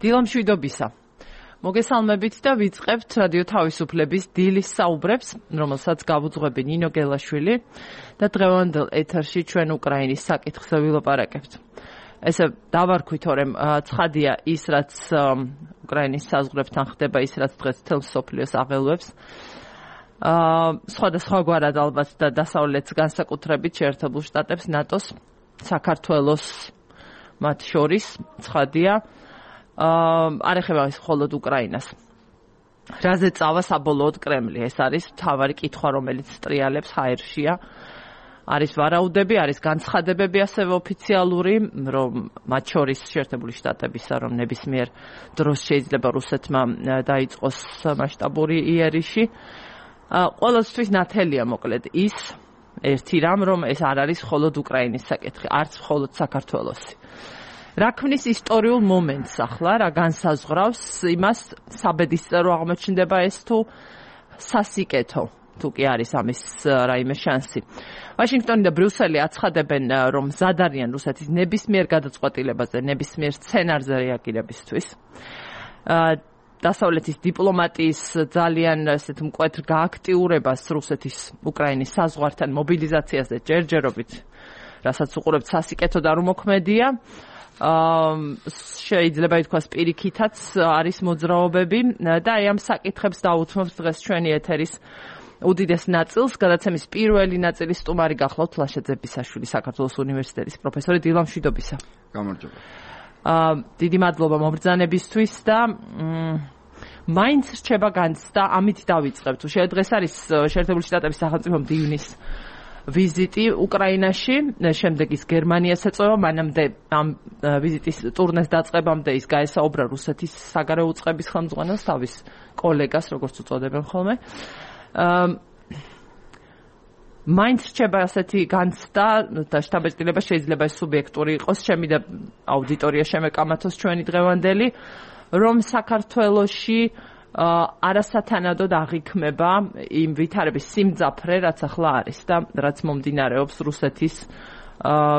დილამშვიდობისა. მოგესალმებით და ვიწყებთ რადიო თავისუფლების დილის საუბრებს, რომელსაც გავუძღვები ნინო გელაშვილი და დღევანდელ ეთერში ჩვენ უკრაინის საკითხზე ვილაპარაკებთ. ესე დავარქვით, რომ ცხადია ის, რაც უკრაინის საზღვრებთან ხდება, ის, რაც დღეს მთელ მსოფლიოს აღელვებს. სხვადასხვაგვარად ალბათ და დასავლეთს განსაკუთრებით შეერთებულ შტატებს, ნატოს, საქართველოს მათ შორის ცხადია. არ ეხება ის მხოლოდ უკრაინას. რაზე წავა საბოლოოდ კრემლი? ეს არის მთავარი კითხვა, რომელიც ტრიალებს ჰაერშია. არის ვარაუდები, არის განცხადებები ასევე ოფიციალური, რომ მათ შორის შეერთებული შტატებისა, რომ ნებისმიერ დროს შეიძლება რუსეთმა დაიწყოს მასშტაბური იერიში. ყოველთვის ნათელია მოკლედ ის ერთი რამ, რომ ეს არ არის მხოლოდ უკრაინის საკითხი, არც მხოლოდ საქართველოსი. რა ქმნის ისტორიულ მომენტს ახლა, რა განსაზღვრავს იმას, საბედისწერო აღმოჩნდება ეს თუ სასიკეთო, თუ კი არის ამის რაიმე შანსი. ვაშინგტონი და ბრიუსელი აცხადებენ, რომ მზად არიან რუსეთის ნებისმიერ გადაწყვეტილებაზე, ნებისმიერ სცენარზე რეაგირებისთვის. დასავლეთის დიპლომატიის ძალიან ესეთ მკვეთრ გააქტიურებას რუსეთის უკრაინის საზღვართან მობილიზაციაზე ჯერჯერობით, რასაც უყურებთ სასიკეთო და რომ მოქმედია. შეიძლება ითქვას პირიქითაც არის მოძრაობები და აი ამ საკითხებს დავუთმობთ დღეს ჩვენი ეთერის უდიდეს ნაწილს. გადაცემის პირველი ნაწილის სტუმარი გახლავთ ლაშა ძებისაშვილი, საქართველოს უნივერსიტეტის პროფესორი. დილამშვიდობისა. გამარჯობა. დიდი მადლობა მობრძანებისთვის და მაინც რჩება განცდა, ამით დავიწყებთ. დღეს არის შეერთებული შტატების სახელმწიფო მდივნის ვიზიტი უკრაინაში, შემდეგ ის გერმანიას ეწევა, მანამდე ამ ვიზიტის ტურნეს დაწყებამდე ის გაესაუბრა რუსეთის საგარეო უწყების ხელმძღვანელს, თავის კოლეგას, როგორც უწოდებენ ხოლმე. მაინც რჩება ასეთი განცდა და შთაბეჭდილება, შეიძლება ეს სუბიექტური იყოს, ჩემი და აუდიტორია შემეკამათოს ჩვენი დღევანდელი, რომ საქართველოში არასათანადოდ აღიქმება იმ ვითარების სიმძაფრე, რაც ახლა არის და რაც მომდინარეობს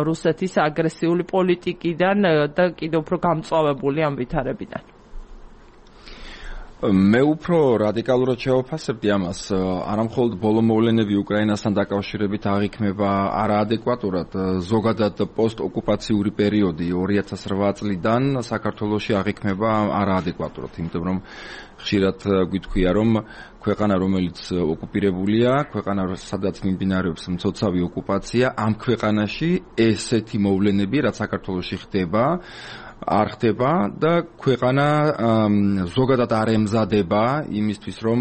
რუსეთის აგრესიული პოლიტიკიდან და კიდევ უფრო გამწვავებული ამ ვითარებიდან. მე უფრო რადიკალურად შევაფასებდი ამას, არამხოლოდ ბოლო მოვლენები უკრაინასთან დაკავშირებით აღიქმება არაადეკვატურად, ზოგადად პოსტ-ოკუპაციური პერიოდი 2008 წლიდან საქართველოში აღიქმება არაადეკვატურად, იმიტომ რომ ხშირად გვითქვია, რომ ქვეყანა, რომელიც ოკუპირებულია, ქვეყანა, სადაც მიმდინარეობს მცოცავი ოკუპაცია, ამ ქვეყანაში ესეთი მოვლენები, რაც საქართველოში ხდება, არ ხდება და ქვეყანა ზოგადად არ ემზადება იმისთვის, რომ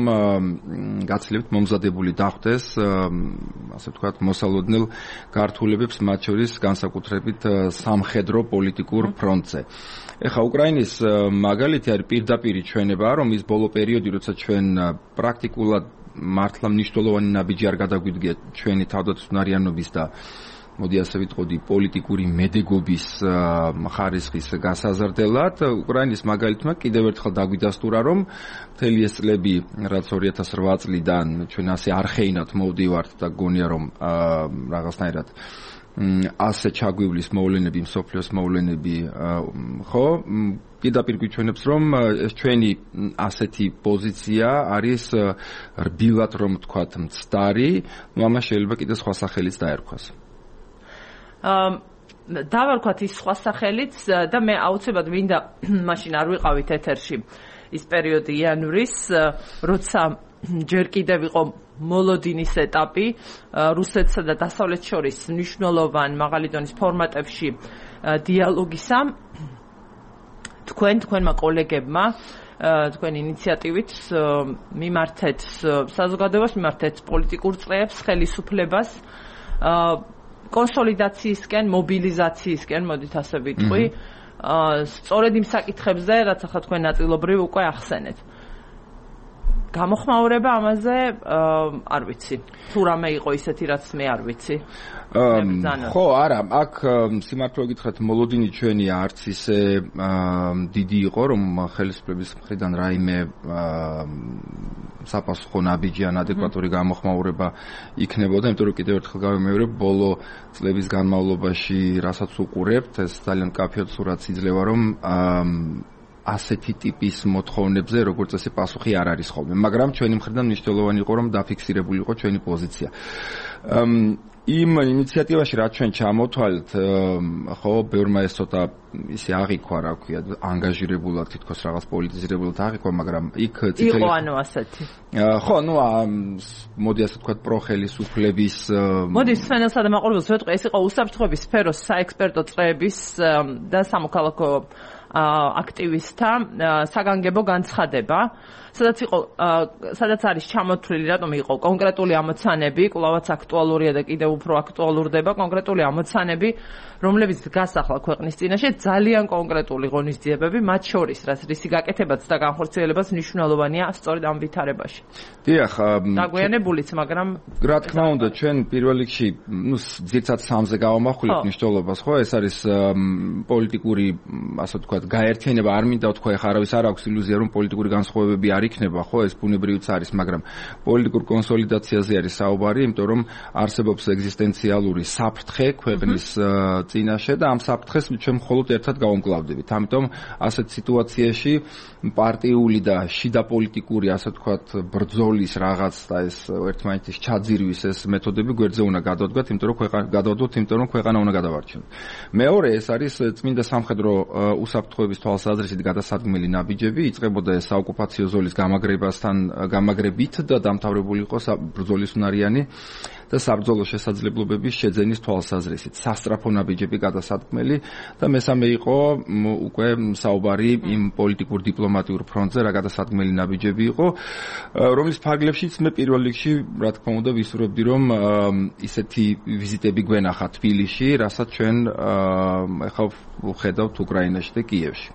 გაცილებით მომზადებული დახვდეს, ასე ვთქვათ, მოსალოდნელ გართულებებს, მათ შორის განსაკუთრებით სამხედრო პოლიტიკურ ფრონტზე. ეხა უკრაინის მაგალითი არის პირდაპირი ჩვენება, რომ ის ბოლო პერიოდი, როცა ჩვენ პრაქტიკულად მართლა მნიშვნელოვანი ნაბიჯი არ გადაგვიდგა ჩვენი თავდაცვნარიანობის და მოდი ასე ვიტყოდი პოლიტიკური მედეგობის ხარისხის გასაზრდელად, უკრაინის მაგალითმა კიდევ ერთხელ დაგვიდასტურა, რომ მთელი ეს წლები, რაც 2008 წლიდან ჩვენ ასე არხეინად მოვდივართ და გონია, რომ რაღაცნაირად ასე ჩაგვივლის მოვლენები, მსოფლიოს მოვლენები, ხო, პირდაპირ გვიჩვენებს, რომ ეს ჩვენი ასეთი პოზიცია არის რბილად, რომ ვთქვათ, მცდარი, ამას შეიძლება კიდე სხვა სახელიც დაერქვას. დავარქვათ ის სხვა სახელიც და მე აუცილებლად მინდა მაშინ არ ვიყავით ეთერში ის პერიოდი იანვრის, როცა ჯერ კიდევ იყო მოლოდინის ეტაპი რუსეთსა და დასავლეთს შორის მნიშვნელოვან მაღალი დონის ფორმატებში დიალოგისა. თქვენმა კოლეგებმა თქვენ ინიციატივით მიმართეთ საზოგადოებას, მიმართეთ პოლიტიკურ წრეებს, ხელისუფლებას კონსოლიდაციისკენ, მობილიზაციისკენ, მოდით ასე ვიტყვი, სწორედ იმ საკითხებზე, რაც ახლა თქვენ ნაწილობრივ უკვე ახსენეთ. გამოხმაურება ამაზე არ ვიცი. თუ რამე იყო ისეთი, რაც მე არ ვიცი. ხო, არა, აქ სიმართლე გითხრათ, მოლოდინი ჩვენი არც ისე დიდი იყო, რომ ხელისუფლების მხრიდან რაიმე საპასუხო ნაბიჯი ან ადეკვატური გამოხმაურება იქნებოდა, იმიტომ რომ კიდევ ერთხელ გავიმეორებ, ბოლო წლების განმავლობაში, რასაც უყურებთ, ეს ძალიან კაფეოდ სურათს იძლევა, რომ ასეთი ტიპის მოთხოვნებზე როგორც წესი პასუხი არ არის ხოლმე, მაგრამ ჩვენი მხრიდან მნიშვნელოვანი იყო რომ დაფიქსირებული იყო ჩვენი პოზიცია. იმ ინიციატივაში რაც ჩვენ ჩამოთვალეთ, ხო, ბევრმა ეს ცოტა ისე აღიქვა, რა ქვია, ანგაჟირებულად, თითქოს რაღაც პოლიტიზირებულად აღიქვა, მაგრამ იქ წითელი იყო ანუ ასეთი. ხო, მოდი ასე ვთქვათ, პროხელისუფლების მოდი სვენელსა და მაყურებელს ვეთქვი, ეს იყო უსაფრთხოების სფეროს საექსპერტო წრეების და სამოქალაქო აქტივისტთა საგანგებო განცხადება, სადაც არის ჩამოთვლილი, რატომ იყო კონკრეტული ამოცანები, კვლავაც აქტუალურია და კიდევ უფრო აქტუალურდება კონკრეტული ამოცანები, რომლებიც დგას ახლა ქვეყნის წინაშე ძალიან კონკრეტული ღონისძიებები, მათ შორის, რაც რისი გაკეთებაც და განხორციელებაც მნიშვნელოვანია სწორედ ამ ვითარებაში. დიახ, დაგვიანებულიც, მაგრამ რა თქმა უნდა, ჩვენ პირველ რიგში, ძირცად სამზე გავამახვილებთ მნიშვნელობას, ხო? ეს არის პოლიტიკური, ასე ვთქვათ, გაერთიანება, არ მინდა ვთქვა, ეხლა არავის არ აქვს ილუზია, რომ პოლიტიკური განსხვავებები არ იქნება, ხო, ეს ბუნებრივიც არის, მაგრამ პოლიტიკურ კონსოლიდაციაზე არის საუბარი, იმიტომ რომ არსებობს ეგზისტენციალური საფრთხე ქვეყნის წინაშე და ამ საფრთხეს ჩვენ მხოლოდ ერთად გავუმკლავდებით. ამიტომ ასეთ სიტუაციაში პარტიული და შიდა პოლიტიკური, ასე ვთქვათ, ბრძოლის რაღაც და ეს ერთმანეთის ჩაძირვის ეს მეთოდები გვერდზე უნდა გადავდგათ, იმიტომ რომ ქვეყანა უნდა გადავარჩინოთ. მეორე, ეს არის წმინდა სამხედრო უსაფრთხოების თვალსაზრისით გადასადგმელი ნაბიჯები, იწყებოდა ეს საოკუპაციო ზოლის გამაგრებით და დამთავრებული იყო ბრძოლის უნარიანი და საბრძოლო შესაძლებლობების შეძენის თვალსაზრისით. სასტრაფო ნაბიჯები გადასადგმელი და მესამე იყო უკვე საუბარი იმ პოლიტიკურ დიპლომატიურ ფრონტზე, რა გადასადგმელი ნაბიჯები იყო, რომლის ფარგლებშიც მე პირველ რიგში, რა თქმა უნდა, ვისურვებდი, რომ ისეთი ვიზიტები გვენახა თბილისში, რასაც ჩვენ ახლა ვხედავთ უკრაინაში და კიევში.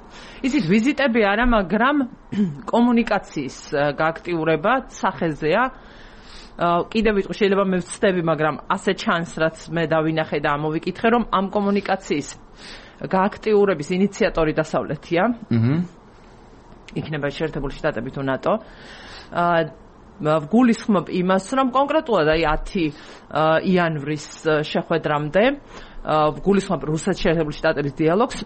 ისიც ვიზიტები არა, მაგრამ კომუნიკაციის გააქტიურება სახეზეა. კიდევ ვიტყვი, შეიძლება მე ვცდები, მაგრამ ასე ჩანს, რაც მე დავინახე და ამოვიკითხე, რომ ამ კომუნიკაციის გააქტიურების ინიციატორი დასავლეთია. იქნება შეერთებული შტატები თუ ნატო. ვგულისხმობ იმას, რომ კონკრეტულად აი 10 იანვრის შეხვედრამდე ვგულისხმობ რუსეთის შეერთებული შტატების დიალოგს.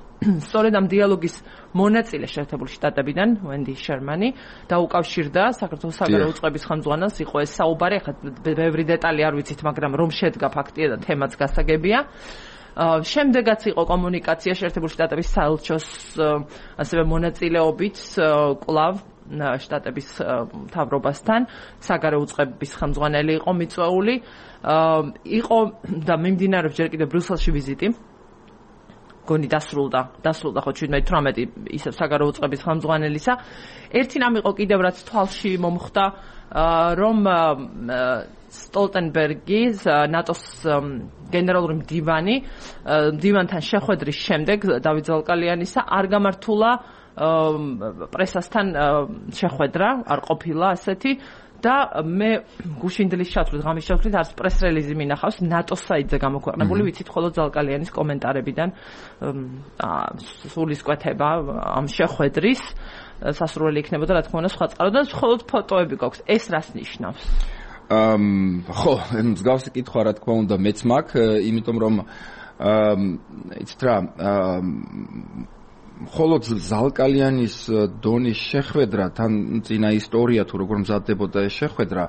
სწორედ ამ დიალოგის მონაწილე შეერთებული შტატებიდან ვენდი შერმანი დაუკავშირდა საქართველოს საგარეო უწყების ხელმძღვანელს, იყო ეს საუბარი, ახლა ბევრი დეტალი არ ვიცით, მაგრამ რომ შედგა ფაქტია და თემაც გასაგებია. შემდეგაც იყო კომუნიკაცია შეერთებული შტატების საელჩოს ასევე მონაწილეობით კვლავ შტატების მთავრობასთან, საგარეო უწყების ხელმძღვანელი იყო მიწვეული, იყო და მიმდინარეობს ჯერ კიდევ ბრიუსელში ვიზიტი. გონი დასრულდა ხო 17-18 ისევ საგარეო უწყების ხელმძღვანელისა. ერთი რამ იყო კიდევ რაც თვალში მომხვდა, რომ სტოლტენბერგის ნატოს გენერალური მდივანთან შეხვედრის შემდეგ დავით ზალკალიანისა არ გამართულა პრესასთან შეხვედრა, არ ყოფილა ასეთი და მე გუშინდლის ჩათვლით, ღამის ჩათვლით არც პრეს-რელიზი მინახავს ნატოს საიტზე გამოქვეყნებული, ვიცით მხოლოდ ზალკალიანის კომენტარებიდან სულისკვეთება ამ შეხვედრის სასურველი იქნებოდა, რა თქმა უნდა, სხვა წყაროდან მხოლოდ ფოტოები გვაქვს. ეს რას ნიშნავს? ხო, მსგავსი კითხვა, რა თქმა უნდა, მეც მაქვს, იმიტომ რომ იცით რა, მხოლოდ ზალკალიანის დონის შეხვედრა, თან წინა ისტორია თუ როგორ მზადდებოდა ეს შეხვედრა,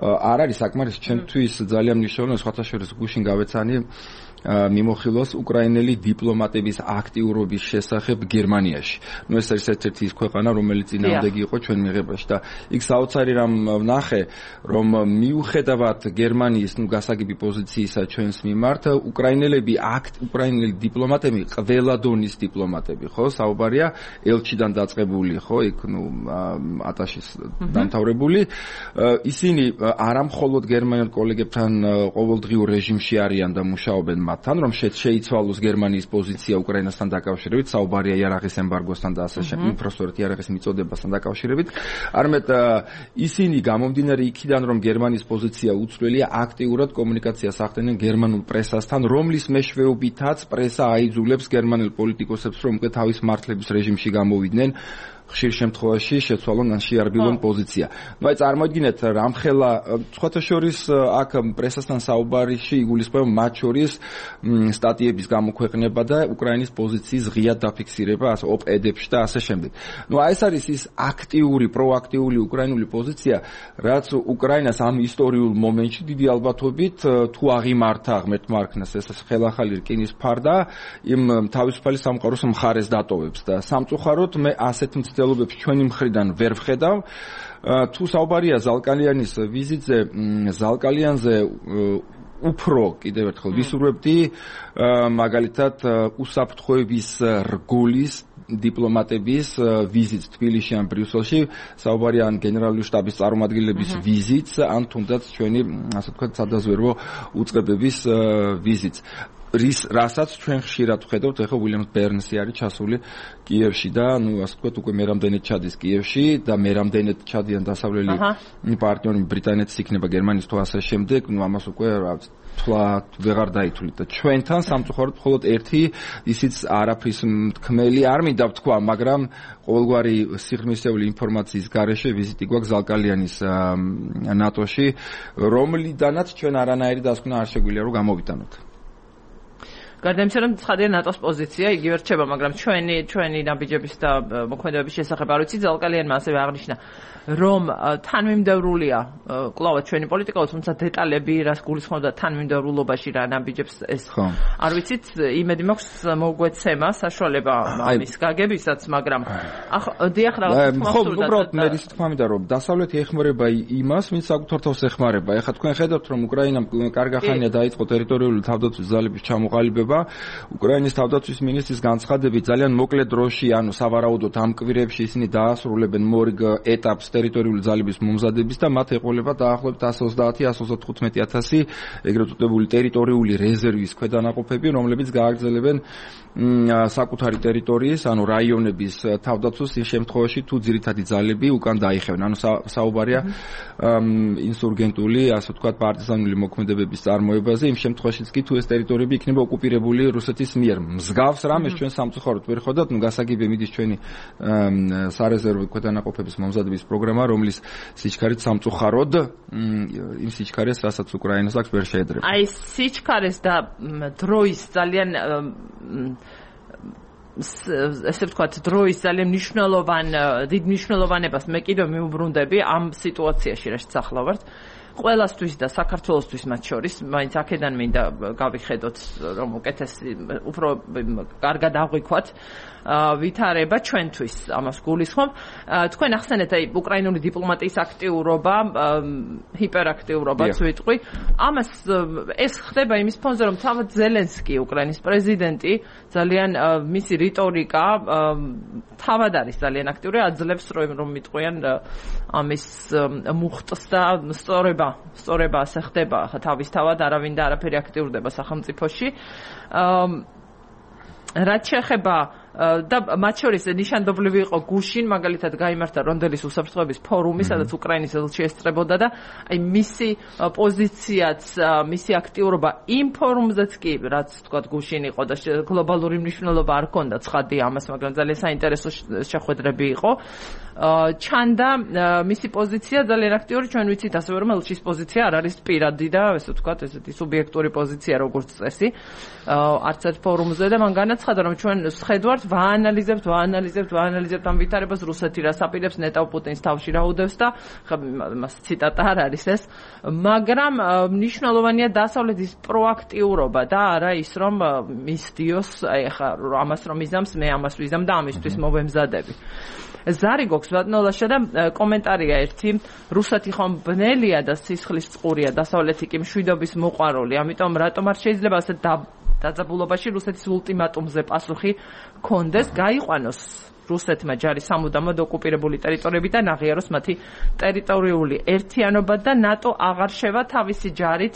არ არის საკმარისი ჩემთვის ძალიან მნიშვნელოვანი, სხვათა შორის გუშინ გავეცანი მიმოხილოს უკრაინელი დიპლომატების აქტიურობის შესახებ გერმანიაში. ეს არის ერთ-ერთი ის ქვეყანა, რომელიც წინააღმდეგი იყო ჩვენ მიღებაში და იქ საოცარი რამ ვნახე, რომ მიუხედავად გერმანიის გასაგები პოზიციისა ჩვენს მიმართ, უკრაინელი დიპლომატები, ყველა დონის დიპლომატები, ხო, საუბარია ელჩიდან დაწყებული, ხო, იქ ატაშის დამთავრებული, ისინი არა მხოლოდ გერმანელ კოლეგებთან ყოველდღიურ რეჟიმში არიან და მუშაობენ მათთან, რომ შეიცვალოს გერმანიის პოზიცია უკრაინასთან დაკავშირებით, საუბარია იარაღის ემბარგოსთან და ასე შემდეგ, უბრალოდ იარაღის მიწოდებასთან დაკავშირებით. არამედ ისინი გამომდინარე იქიდან, რომ გერმანიის პოზიცია უცვლელია, აქტიურად კომუნიკაციას ახდენენ გერმანულ პრესასთან, რომლის მეშვეობითაც პრესა აიძულებს გერმანელ პოლიტიკოსებს, რომ უკვე თავის მართლების რეჟიმში გამოვიდნენ. ხშირ შემთხვევაში შეცვალონ ან შეარბილონ პოზიცია. ნუ აი წარმოიდგინეთ რამხელა სხვათა შორის აქ პრესასთან საუბარში იგულისხმება მათ შორის სტატიების გამოქვეყნება და უკრაინის პოზიციის ღიად დაფიქსირება ოპ-ედებში და ასე შემდეგ. ნუ აი ეს არის ის აქტიური, პროაქტიული უკრაინული პოზიცია, რაც უკრაინას ამ ისტორიულ მომენტში დიდი ალბათობით თუ აღიმართა ღმერთმა არქნას ეს ხელახალი რკინის ფარდა იმ თავისუფალი სამყაროს მხარეს დატოვებს და სამწუხაროდ მე ასეთ მცდელობებს ჩვენი მხრიდან ვერ ვხედავ. თუ საუბარია ზალკალიანის ვიზიტზე, ზალკალიანზე უფრო კიდევ ერთხელ ვისურვებდი მაგალითად უსაფრთხოების რგოლის დიპლომატების ვიზიტს თბილისში ან ბრიუსელში, საუბარია ან გენერალური შტაბის წარმომადგენლების ვიზიტს, ან თუნდაც ჩვენი ასე ვთქვათ სადაზვერვო უწყებების ვიზიტს. რასაც ჩვენ ხშირად ვხედავთ, ეხლა უილიამ ბერნსი არის ჩასული კიევში და ნუ ასე ვთქვათ უკვე მერამდენეთ ჩადის კიევში და მერამდენეთ ჩადიან დასავლელი პარტნიორი ბრიტანეთის იქნება გერმანიის თუ ასე შემდეგ, ნუ ამას უკვე თვლა ვეღარ დაითვლით და ჩვენთან სამწუხაროდ მხოლოდ ერთი ისიც არაფრის თქმელი არ მინდა ვთქვა, მაგრამ ყოველგვარი სიღრმისეული ინფორმაციის გარეშე ვიზიტი გვაქვს ზალკალიანის ნატოში, რომლიდანაც ჩვენ არანაირი დასკვნა არ შეგვიძლია რომ გამოვიტანოთ. გარდა იმისა, რომ ცხადია ნატოს პოზიცია იგივე რჩება, მაგრამ ჩვენი ნაბიჯების და მოქმედებების შესახებ არ ვიცი, ზალკალიანმა ასევე აღნიშნა, რომ თანმიმდევრულია კლავად ჩვენი პოლიტიკა, თუმცა დეტალები რას გულისხმობდა თანმიმდევრულობაში რა ნაბიჯებს ეს არ ვიცით, იმედი მაქვს მოგვეცემა საშუალება ამის გაგებისაც, მაგრამ დიახ რაღაც ხო, უბრალოდ მე ის თქმა მინდა რომ დასავლეთი ეხმარება იმას, ვინც საკუთარ თავს ეხმარება. ეხლა თქვენ ხედავთ, რომ უკრაინამ კარგახანია დაიწყო ტერიტორიული თავდაცვის ძალების ჩამოყალიბება. უკრაინის თავდაცვის მინისტრის განცხადებით ძალიან მოკლე დროში, ანუ სავარაუდოდ ამ კვირებში ისინი დაასრულებენ მორიგ ეტაპს ტერიტორიული ძალების მომზადების და მათ ეყოლება დაახლოებით 130-135,000 ეგრეთ წოდებული ტერიტორიული რეზერვის ქვედანაყოფები, რომლებიც გააგრძელებენ საკუთარი ტერიტორიის, ანუ რაიონების თავდაცვას იმ შემთხვევაში, თუ ძირითადი ძალები უკან დაიხევენ. ანუ საუბარია ინსურგენტული, ასე ვთქვათ, პარტიზანული მოქმედებების წარმოებაზე, იმ შემთხვევაშიც კი თუ ეს ტერიტორიები იქნება ოკუპირებული რუსეთის მიერ. მსგავს რამეს ჩვენ სამწუხაროდ ვერ ხედავთ, ნუ გასაგებია მიდის ჩვენი სარეზერვო ქვედანაყოფების მომზადების პროგრამა, რომლის სიჩქარით სამწუხაროდ იმ სიჩქარეს, რასაც უკრაინას აქვს, ვერ შეედრება. აი სიჩქარეს და დროის ძალიან ესე ვთქვათ, დროის ძალიან დიდ მნიშვნელოვანებას მე კიდევ მიუბრუნდები ამ სიტუაციაში, რასაც ახლა ვართ. ყველასთვის და საქართველოსთვის მათ შორის, მაინც აქედან მინდა გავიხედოთ, რომ უკეთესი, უფრო კარგად აღვიქვათ ვითარება ჩვენთვის ამას გულისხმობ. თქვენ ახსენეთ აი უკრაინული დიპლომატიის აქტიურობა, ჰიპერაქტიურობაც ვიტყვი. ამას ეს ხდება იმის ფონზე, რომ თავად ზელენსკი, უკრაინის პრეზიდენტი, ძალიან მისი რიტორიკა თავად არის ძალიან აქტიური, აძლევს რომ მიტყვიან ამის მუხტს და სწორება ასე ხდება თავისთავად, არავინ და არაფერი აქტიურდება სახელმწიფოში. რაც შეეხება და მათ შორის ნიშანდობლივი იყო გუშინ, მაგალითად გაიმართა რონდელის უსაფრთხოების ფორუმი, სადაც უკრაინის ელჩი ესწრებოდა და აი მისი პოზიციაც, მისი აქტიურობა იმ ფორუმზეც კი, რაც თქვა გუშინ იყო და გლობალური მნიშვნელობა არ ჰქონდა ცხადია ამას, მაგრამ ძალიან საინტერესო შეხვედრები იყო. ჩანდა მისი პოზიცია ძალიან აქტიური, ჩვენ ვიცით ასევე რომ ელჩის პოზიცია არ არის პირადი და ესე ვთქვათ, ესეთი სუბიექტური პოზიცია როგორც წესი არც ერთ ფორუმზე და მან განაცხადა რომ ჩვენ შევხედვართ, ვაანალიზებთ ამ ვითარებას, რუსეთი რას აპირებს, ნეტავ პუტინს თავში რა უდევს და მას ციტატა არ არის ეს, მაგრამ მნიშვნელოვანია დასავლეთის პროაქტიურობა და არა ის რომ მისდიოს, აი ხა ამას რომ იზამს, მე ამას ვიზამ და ამისთვის მოვემზადები. ზარი გვაქვს ბატონოლაშა და კომენტარია ერთი, რუსეთი ხომ ბნელია და სისხლის წყურია, დასავლეთი კი მშვიდობის მოყვარული, ამიტომ რატომ არ შეიძლება ასე დაძაბულობაში რუსეთის ულტიმატუმზე პასუხი კონდეს, გაიყვანოს რუსეთმა ჯარი სამუდამოდ ოკუპირებული ტერიტორიები და ნაღიაროს მათი ტერიტორიული ერთიანობა და ნატო აღარ შევა თავისი ჯარით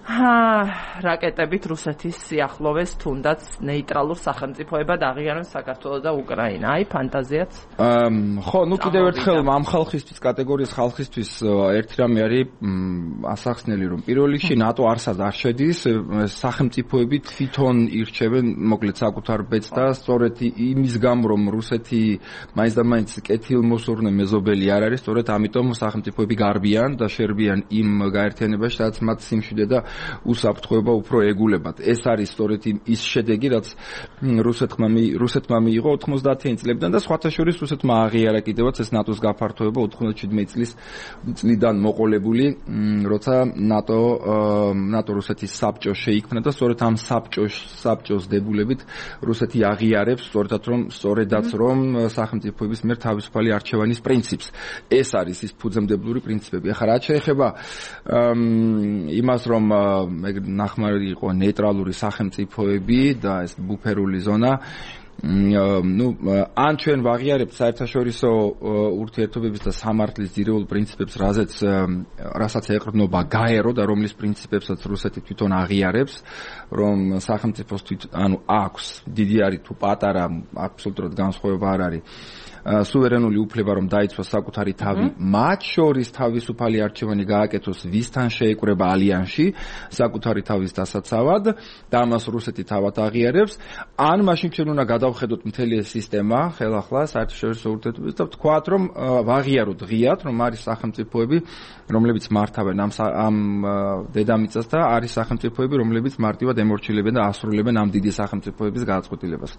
რაკეტებით რუსეთის სიახლოვეს თუნდაც ნეიტრალურ სახელმწიფოებად აღიაროს საქართველო და უკრაინა. აი ფანტაზიაც. ხო, ნუ კიდევ ერთხელ ამ ხალხისთვის კატეგორიის ხალხისთვის ერთი რამე არის ასახსნელი, რომ პირველ რიგში ნატო არსად არ შედის, სახელმწიფოები თვითონ ირჩევენ მოკლედ საკუთარ ბედს და სწორედ იმის გამო რომ რუსეთი მაინც და მაინც კეთილმოსურნე მეზობელი არ არის, სწორედ ამიტომ სახელმწიფოები გარბიან და შერბიან იმ გაერთიანებაში, სადაც მათ სიმშვიდე და უსაფრთხოება უფრო ეგულებათ. ეს არის სწორედ ის შედეგი, რაც რუსეთმა მიიღო 90-იან წლებიდან და სხვათა შორის რუსეთმა აღიარა კიდევაც ეს ნატოს გაფართოება 97 წლიდან მოყოლებული, როცა ნატო რუსეთის საბჭო შეიქმნა და სწორედ ამ საბჭოს დებულებით რუსეთი აღიარებს სწორედაც რომ სახელმწიფოების მიერ თავისუფალი არჩევანის პრინციპს. ეს არის ის ფუძემდებლური პრინციპები. ახლა რაც შეეხება იმას რომ ნახმარი იყო ნეიტრალური სახელმწიფოები და ეს ბუფერული ზონა, ან ჩვენ ვაღიარებთ საერთაშორისო ურთიერთობების და სამართლის ძირეულ პრინციპებს, რასაც ეყრდნობა გაერო და რომლის პრინციპებსაც რუსეთი თვითონ აღიარებს, რომ სახელმწიფოს აქვს დიდი არის თუ პატარა, აბსოლუტურად განსხვავება არ არის. სუვერენული უფლება რომ დაიცვას საკუთარი თავი, მათ შორის თავისუფალი არჩევანი გააკეთოს ვისთან შეეკრება ალიანსში საკუთარი თავის დასაცავად და ამას რუსეთი თავად აღიარებს, ან მაშინ ჩვენ უნდა გადავხედოთ მთელი ეს სისტემა ხელახლა საერთაშორისო ურთიერთობებს და ვთქვათ რომ ვაღიაროთ ღიად რომ არის სახელმწიფოები რომლებიც მართავენ ამ დედამიწას და არის სახელმწიფოები რომლებიც მარტივად ემორჩილებენ და ასრულებენ ამ დიდი სახელმწიფოების გადაწყვეტილებას.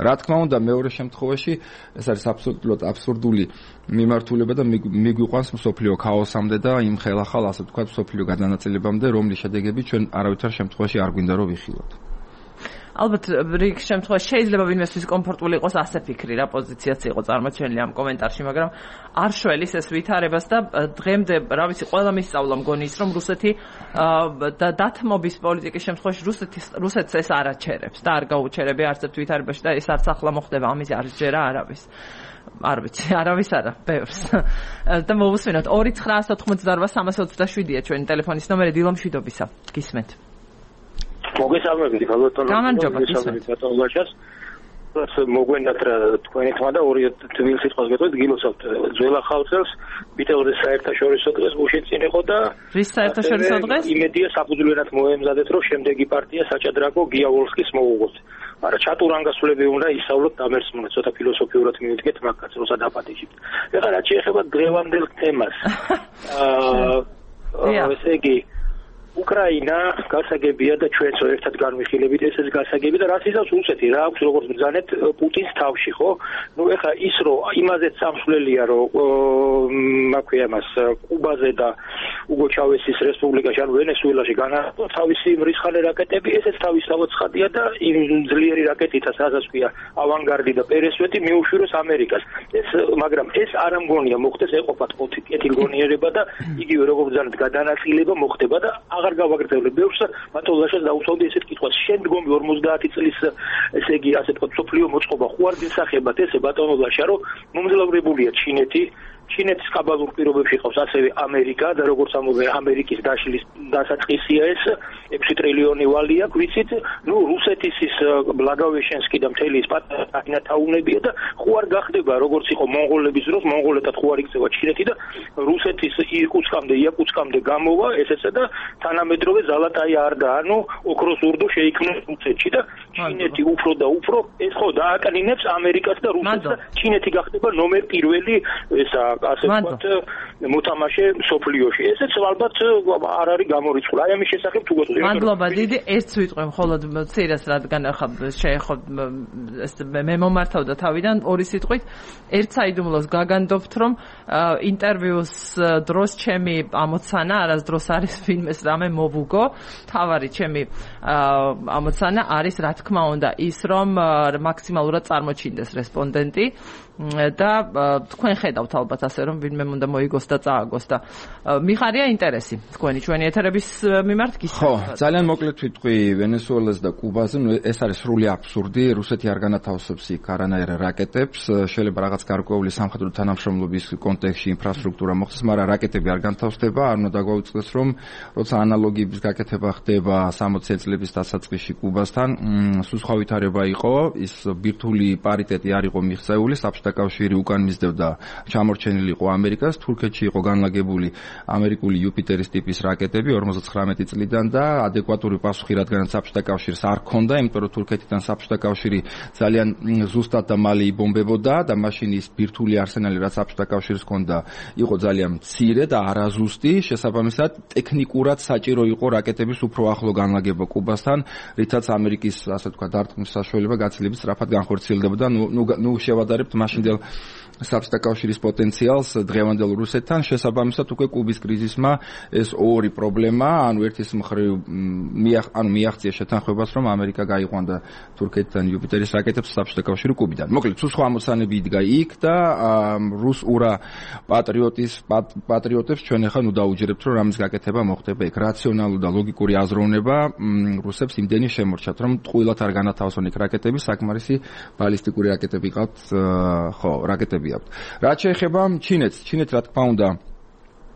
რა თქმა უნდა მეორე შემთხვევაში ეს არის აბსურდული მიმართულება და მიგვიყვანს მსოფლიო ქაოსამდე და იმ ხელახალ ასე ვთქვათ მსოფლიო გადანაწილებამდე, რომლის შედეგები ჩვენ არავითარ შემთხვევაში არ გვინდა რომ ვიხილოთ. ალბათ რიგ შემთხვევაში შეიძლება ვინმესთვის კომფორტული იყოს ასე ფიქრი რა პოზიციაც იყო წარმოჩენილი ამ კომენტარში, მაგრამ არ შველის ეს ვითარებას და დღემდე რა ვიცი ყველა მისწავლა მგონი ის რომ რუსეთი და დათმობის პოლიტიკის შემთხვევაში რუსეთს ეს არ აჩერებს და არ გაუჩერებია არც ერთ ვითარებაში და ეს არც ახლა მოხდება, ამის არ ჯერა არავის. არ ვიცი, არავის არა, ბევრს. და მოვუსმინოთ 2988327-ია ჩვენი ტელეფონის ნომერი დილო მშვიდობისა. გისმენთ. მოგესალმებით, ბატონო. გამარჯობა, გისმენთ. მოგვენდათ რა თქვენი თმა და ორი თბილ სიტყვას გეტყვით, გილოცავთ ძველ ახალ წელს, მიტევდეს საერთაშორისო დღეს გუშინ წინ იყო და რის საერთაშორისო დღეს? იმედია საფუძვლიანად მოემზადეთ, რომ შემდეგი პარტია საჭადრაკო გიავოლსკის მოუღოთ. მაგრამ ჩატურანგასულები უნდა ისავლოთ დამერსმუნეთ, ცოტა ფილოსოფიურად მივიდგეთ მაგაც, როცა დაპატიჟით. ეხლა რაც შეეხება დღევანდელ თემას. ესე იგი უკრაინა გასაგებია და ჩვენც ერთად განვიხილებით ესეც გასაგები და რაც იზავს რუსეთი რა აქვს როგორც ბრძანეთ პუტინს თავში ხო? ნუ ეხლა ის რომ იმაზეც სამსვლელია რომ მაქვია მას კუბაზე და უგო ჩავესის რესპუბლიკაში ან ვენესუელაში განაყო თავისი მრისხანე რაკეტები, ესეც თავისთავად ცხადია და იმ ძლიერი რაკეტითაც რასაც ქვია ავანგარდი და პერესვეტი მიუშვიროს ამერიკას. მაგრამ ეს არ ამგონია მოხდეს ეყოფათ კეთილგონიერება და იგივე როგორც ბრძანეთ გადანაწილება მოხდება და აღარ გავაგრძელებ ბევრს, ბატონლაშას დაუსვამდი ესეთ კითხვას. შემდგომი 50 წლის ესე იგი ასე ვთქვათ სოფლიო მოწყობა ხო არ გისახებათ ესე ბატონლაშა რომ მომძლავრებულია ჩინეთის კაბალურ პირობებში ყავს ასევე ამერიკა და როგორც ამბობენ ამერიკის დაშლის დასაწყისია ეს 6 ტრილიონი ვალი აქვს, ვიცით, ნუ რუსეთის ის ბლაგავეშენსკი და მთელი ის პატარა თაუნებია და ხო არ გახდება როგორც იყო მონღოლების დროს, მონღოლეთად ხო არ იქცევა ჩინეთი და რუსეთის იაკუტსკამდე გამოვა ესეცა და თანამედროვე ზალატაი არდა, ანუ ოქროს ურდო შეიქმნა რუსეთში და ჩინეთი უფრო და უფრო ეს ხო დააკნინებს ამერიკას და რუსეთს და ჩინეთი გახდება ნომერ პირველი ესა ასე ვთქვათ მოთამაშე სოფლიოში. ესეც ალბათ არ არის გამორიცხული. აი ამის შესახებ თუ გეტყვი. მადლობა დიდი, ერთს ვიტყვი მხოლოდ ცირას, რადგან ახლა შეეხო ეს მე მომართავდა თავიდან ორი სიტყვით. ერთ საიდუმლოს გაგანდობთ, რომ ინტერვიუს დროს ჩემი ამოცანა არასდროს არის ვინმეს რამე მოვუგო. თავარი ჩემი ამოცანა არის რა თქმა უნდა ის, რომ მაქსიმალურად წარმოჩინდეს რესპონდენტი და თქვენ ხედავთ ალბათ ასე რომ ვინმე უნდა მოიგოს და წააგოს და მიხარია ინტერესი ჩვენი ეთერების მიმართ გისურვებთ. ხო, ძალიან მოკლედ ვიტყვი ვენესუელას და კუბაზე, ეს არის სრული აბსურდი, რუსეთი არ განათავსებს იქ არანაირ რაკეტებს, შეიძლება რაღაც გარკვეული სამხედრო თანამშრომლობის კონტექსტში ინფრასტრუქტურა მოხდეს, მაგრამ რაკეტები არ განთავსდება, არ უნდა დაგვაუწყდეს რომ როცა ანალოგიების გაკეთება ხდება 60 წლების დასაწყისში კუბასთან, სულ სხვა ვითარება იყო, ის ბირთვული პარიტეტი არ იყო მიღწეული, საბჭოთა კავშირი უკან მისდევდა ჩამორჩენილი იყო ამერიკას, თურქეთში იყო განლაგებული ამერიკული იუპიტერის ტიპის რაკეტები 59 წლიდან და ადეკვატური პასუხი რადგანაც საბჭოთა კავშირს არ ჰქონდა, იმიტომ რომ თურქეთიდან საბჭოთა კავშირი ძალიან ზუსტად და მალე იბომბებოდა და მაშინ ის ბირთვული არსენალი რაც საბჭოთა კავშირს ჰქონდა იყო ძალიან მცირე და არაზუსტი, შესაბამისად ტექნიკურად საჭირო იყო რაკეტების უფრო ახლო განლაგება კუბასთან, რითაც ამერიკის ასე თქვა დარტყმის საშუალება გაცილებით სწრაფად განხორციელდებოდა. ნუ შევადარებთ მაშინდელ საბჭოთა კავშირის პოტენციალს დღევანდელ რუსეთთან, შესაბამისად უკვე კუბის კრიზისმა ეს ორი პრობლემა, ანუ ერთის მხრივ მიაღწია შეთანხმებას, რომ ამერიკა გაიყვანდა თურქეთიდან იუპიტერის რაკეტებს საბჭოთა კავშირი კუბიდან. მოკლედ, სულ სხვა ამოცანები იდგა იქ და რუს-ურა პატრიოტებს ჩვენ ახლა ნუ დაუჯერებთ, რომ რამის გაკეთება მოხდება იქ. რაციონალური და ლოგიკური აზროვნება რუსებს იმდენი შემორჩათ, რომ ტყუილად არ განათავსონ იქ რაკეტები, საკმარისი ბალისტიკური რაკეტები ყავთ, ხო, რაკეტები. რაც შეეხება ჩინეთს, რა თქმა უნდა,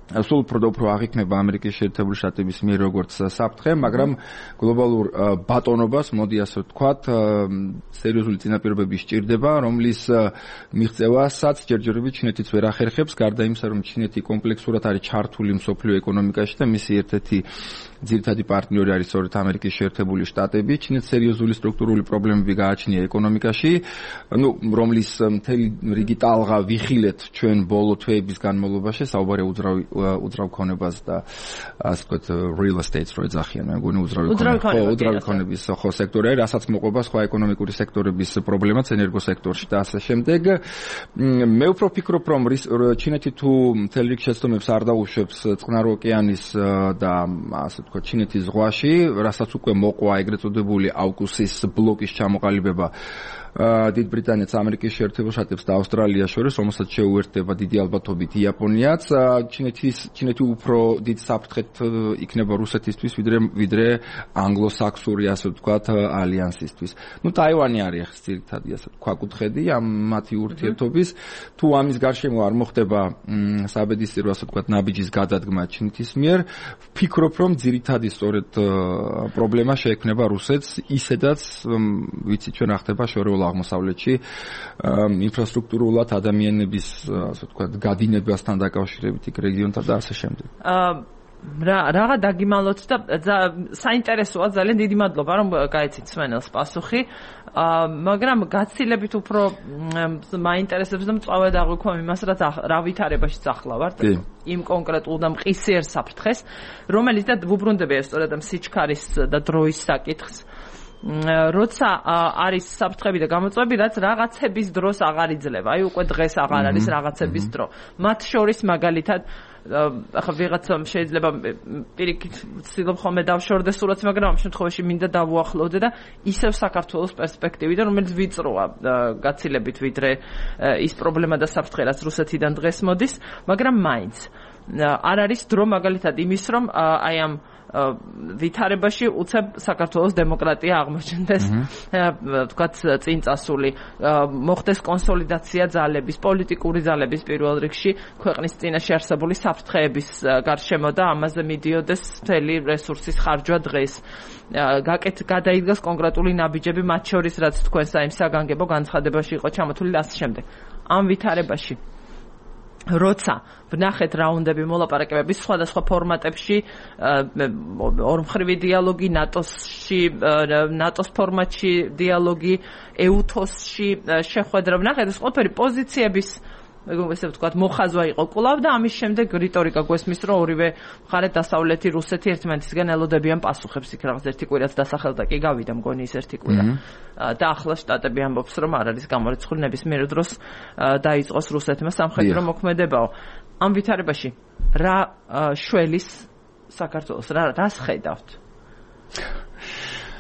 სულ უფრო აღიქმება ამერიკის შეერთებული შტატების მიერ როგორც საფრთხე, მაგრამ გლობალურ ბატონობას, მოდი ასე ვთქვათ, სერიოზული წინაპირობები სჭირდება, რომლის მიღწევასაც ჯერჯერობით ჩინეთიც ვერ ახერხებს, გარდა იმისა, რომ ჩინეთი კომპლექსურად არის ჩართული მსოფლიო ეკონომიკაში და მისი ერთ-ერთი ძირითადი პარტნიორი არის სწორედ ამერიკის შეერთებული შტატები. ჩინეთს სერიოზული სტრუქტურული პრობლემები გააჩნია ეკონომიკაში, რომლის მთელი რიგი ტალღა ვიხილეთ ჩვენ ბოლო თვეების განმავლობაში, საუბარია უძრავ ქონებას და ასე ვთქვათ real estate-ს რო ეძახიან, მე მგონი უძრავი ქონების ხო სექტორი, რასაც მოყვება სხვა ეკონომიკური სექტორების პრობლემაც ენერგოსექტორში და ასე შემდეგ. მე უფრო ვფიქრობ, რომ ჩინეთი თუ მთელ რიგ შეცდომებს არ დაუშვებს წყნარი ოკეანის და ასე ვთქვათ ჩინეთის ზღვაში, რასაც უკვე მოყვა ეგრეთ წოდებული აუკუსის ბლოკის ჩამოყალიბება დიდ ბრიტანეთს, ამერიკის შეერთებულ შტატებს და ავსტრალიას შორის, რომელსაც შეუერთდება დიდი ალბათობით იაპონიაც. ჩინეთი უფრო დიდ საფრთხეთ იქნება რუსეთისთვის, ვიდრე ანგლო-საქსური, ასე ვთქვათ, ალიანსისთვის. ტაივანი არის ძირითადი, ასე ვთქვათ, ქვაკუთხედი ამ მათი ურთიერთობის. თუ ამის გარშემო არ მოხდება საბედისწერო, ასე ვთქვათ, ნაბიჯის გადადგმა ჩინეთის მიერ, ვფიქრობ, რომ ძირითადი სწორედ პრობლემა შეექმნება რუსეთს, ისედაც ვიცით ჩვენ ახდება შორეულ აღმოსავლეთში ინფრასტრუქტურულად ადამიანების ასე ვთქვათ გადინებასთან დაკავშირებით იქ რეგიონთან და ასე შემდეგ. რაღა დაგიმალოთ და საინტერესოა, ძალიან დიდი მადლობა რომ გაიცით სვენელს პასუხი, მაგრამ გაცილებით უფრო მაინტერესებს და მწვავედ აღვიქვამ იმას, რა ვითარებაში ახლა ვართ იმ კონკრეტულ და მყისიერ საფრთხეს, რომელიც და ვუბრუნდები სწორედ ამ სიჩქარის და დროის საკითხს. როცა არის საფრთხები და გამოწვევები, რაც რაღაცების დროს აღარ იძლევა. აი უკვე დღეს აღარ არის რაღაცების დრო. მათ შორის მაგალითად ახლა ვიღაცამ შეიძლება პირიქით ვცდილობ ხოლმე დავშორდეს სურათს, მაგრამ ამ შემთხვევაში მინდა დავუახლოვდე და ისევ საქართველოს პერსპექტივიდან, რომელიც ვიწროა გაცილებით ვიდრე ის პრობლემა და საფრთხე, რაც რუსეთიდან დღეს მოდის, მაგრამ მაინც არ არის დრო მაგალითად იმის, რომ აი ამ ვითარებაში უცებ საქართველოს დემოკრატია აღმოჩნდეს, ვთქვათ, წინ წასული, მოხდეს კონსოლიდაცია ძალების, პოლიტიკური ძალების პირველ რიგში ქვეყნის წინაშე არსებული საფრთხეების გარშემო და ამაზე მიდიოდეს მთელი რესურსის ხარჯვა დღეს. გადაიდგას კონკრეტული ნაბიჯები, მათ შორის რაც თქვენ საიმ საგანგებო განცხადებაში იყო ჩამოთვლილი და ასე შემდეგ. ამ ვითარებაში როცა ვნახეთ რაუნდები მოლაპარაკებების სხვადასხვა ფორმატებში, ორმხრივი დიალოგი ნატოს ფორმატში დიალოგი, ეუთოსში შეხვედრა, ვნახეთ ეს ყველაფერი პოზიციების ესე ვთქვათ მოხაზვა იყო კვლავ და ამის შემდეგ რიტორიკა გვესმის, რომ ორივე მხარე დასავლეთი რუსეთი ერთმანეთისგან ელოდებიან პასუხებს, იქ რაღაც ერთი კვირაც დასახელდა კი გავიდა მგონი ის ერთი კვირა და ახლა შტატები ამბობს, რომ არ არის გამორიცხული ნებისმიერ დროს დაიწყოს რუსეთმა სამხედრო მოქმედებაო. ამ ვითარებაში რა შველის საქართველოს, რას ხედავთ?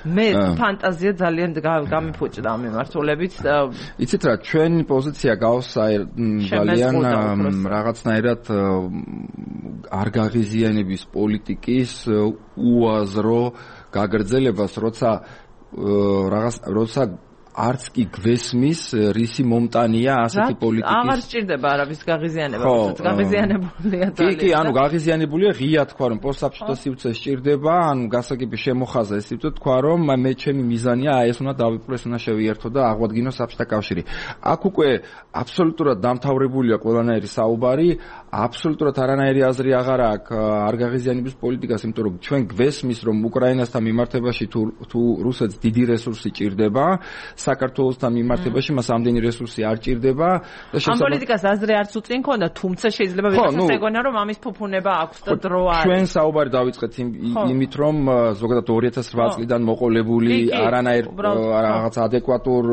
მე ფანტაზია ძალიან გამიფუჭდა ამ მიმართულებით. იცით რა, ჩვენი პოზიცია გავს ძალიან რაღაცნაირად არ გაღიზიანების პოლიტიკის უაზრო გაგრძელებას, როცა არც კი გვესმის რისი მომტანია ასეთი პოლიტიკის. აღარ სჭირდება არავის გაღიზიანება, გაღიზიანებულია ძალიან. კი, ანუ გაღიზიანებულია ღია თქვა რომ პოსტსაბჭოთა სივრცე სჭირდება, ანუ გასაგები შემოხაზა ეს სივრცე თქვა რომ მე ჩემი მიზანია ეს უნდა დავიპყრო, ეს უნდა შევიერთო და აღვადგინო საბჭოთა კავშირი. აქ უკვე აბსოლუტურად დამთავრებულია ყველანაირი საუბარი, აბსოლუტურად არანაირი აზრი აღარ აქვს არ გაღიზიანების პოლიტიკას, იმიტომ რომ ჩვენ გვესმის რომ უკრაინასთან მიმართებაში თუ რუსეთს დიდი რესურსი ჭირდება, საქართველოსთან მიმართებაში მას ამდენი რესურსი არ ჭირდება და ამ პოლიტიკას აზრი არც უწინ ქონდა, თუმცა შეიძლება ვიღაცას ეგონა რომ ამის ფუფუნება აქვს და დრო არის. ჩვენ საუბარი დავიწყეთ იმით რომ ზოგადად 2008 წლიდან მოყოლებული არანაირ რაღაც ადეკვატურ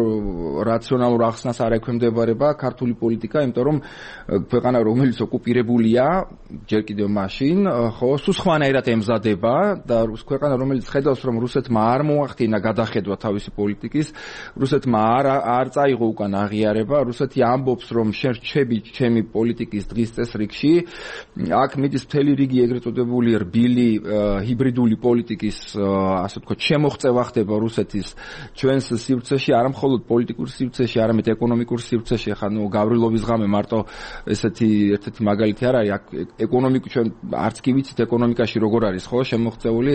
რაციონალურ ახსნას არ ექვემდებარება ქართული პოლიტიკა, იმიტომ რომ ქვეყანა რომელიც ოკუპირებულია ჯერ კიდევ მაშინ, ხო, სულ სხვანაირად ემზადება და ქვეყანა რომელიც ხედავს რომ რუსეთმა არ მოახდინა გადახედვა თავისი პოლიტიკის, რუსეთმა არ წაიღო უკან აღიარება, რუსეთი ამბობს რომ შენ რჩები ჩემი პოლიტიკის დღის წესრიგში, აქ მიდის მთელი რიგი ეგრეთ წოდებული რბილი ჰიბრიდული პოლიტიკის, ასე ვთქვათ, შემოღწევა ხდება რუსეთის ჩვენს სივრცეში, არა მხოლოდ პოლიტიკურ სივრცეში, არამედ ეკონომიკურ სივრცეში. ხა ნუ გავრილობის ღამე მარტო ესეთი ერთ-ერთი მაგალითი არ არის, აქ ეკონომიკა ჩვენ არც კი ვიცით ეკონომიკაში როგორ არის ხო შემოღწეული.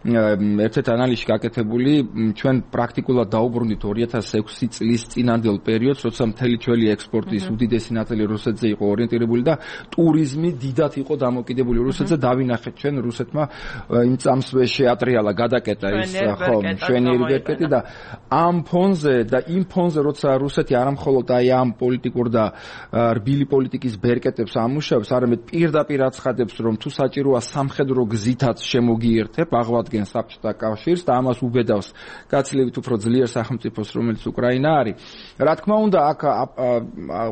ერთ-ერთ ანალიზში გაკეთებული ჩვენ პრაქტიკულად დაუბრუნდით 2006 წლის წინანდელ პერიოდს, როცა მთელი ჩვენი ექსპორტის უდიდესი ნაწილი რუსეთზე იყო ორიენტირებული და ტურიზმი დიდად იყო დამოკიდებული რუსეთზე. დავინახეთ ჩვენ რუსეთმა იმ წამსვე შეატრიალა გადაკეტა ის ხო მშვენიერი ბერკეტი და ამ ფონზე და იმ ფონზე როცა რუსეთი არამხოლოდ აი ამ პოლიტიკურ და რბილი პოლიტიკის ბერკეტებს ამუშავებს, არამედ პირდაპირ აცხადებს რომ თუ საჭიროა სამხედრო გზითაც შემოგიერთებ აღვადგენ საბჭოთა კავშირს და ამას უბედავს გაცილებით უფრო ძლიერ სახელმწიფოს რომელიც უკრაინა არის. რა თქმა უნდა აქ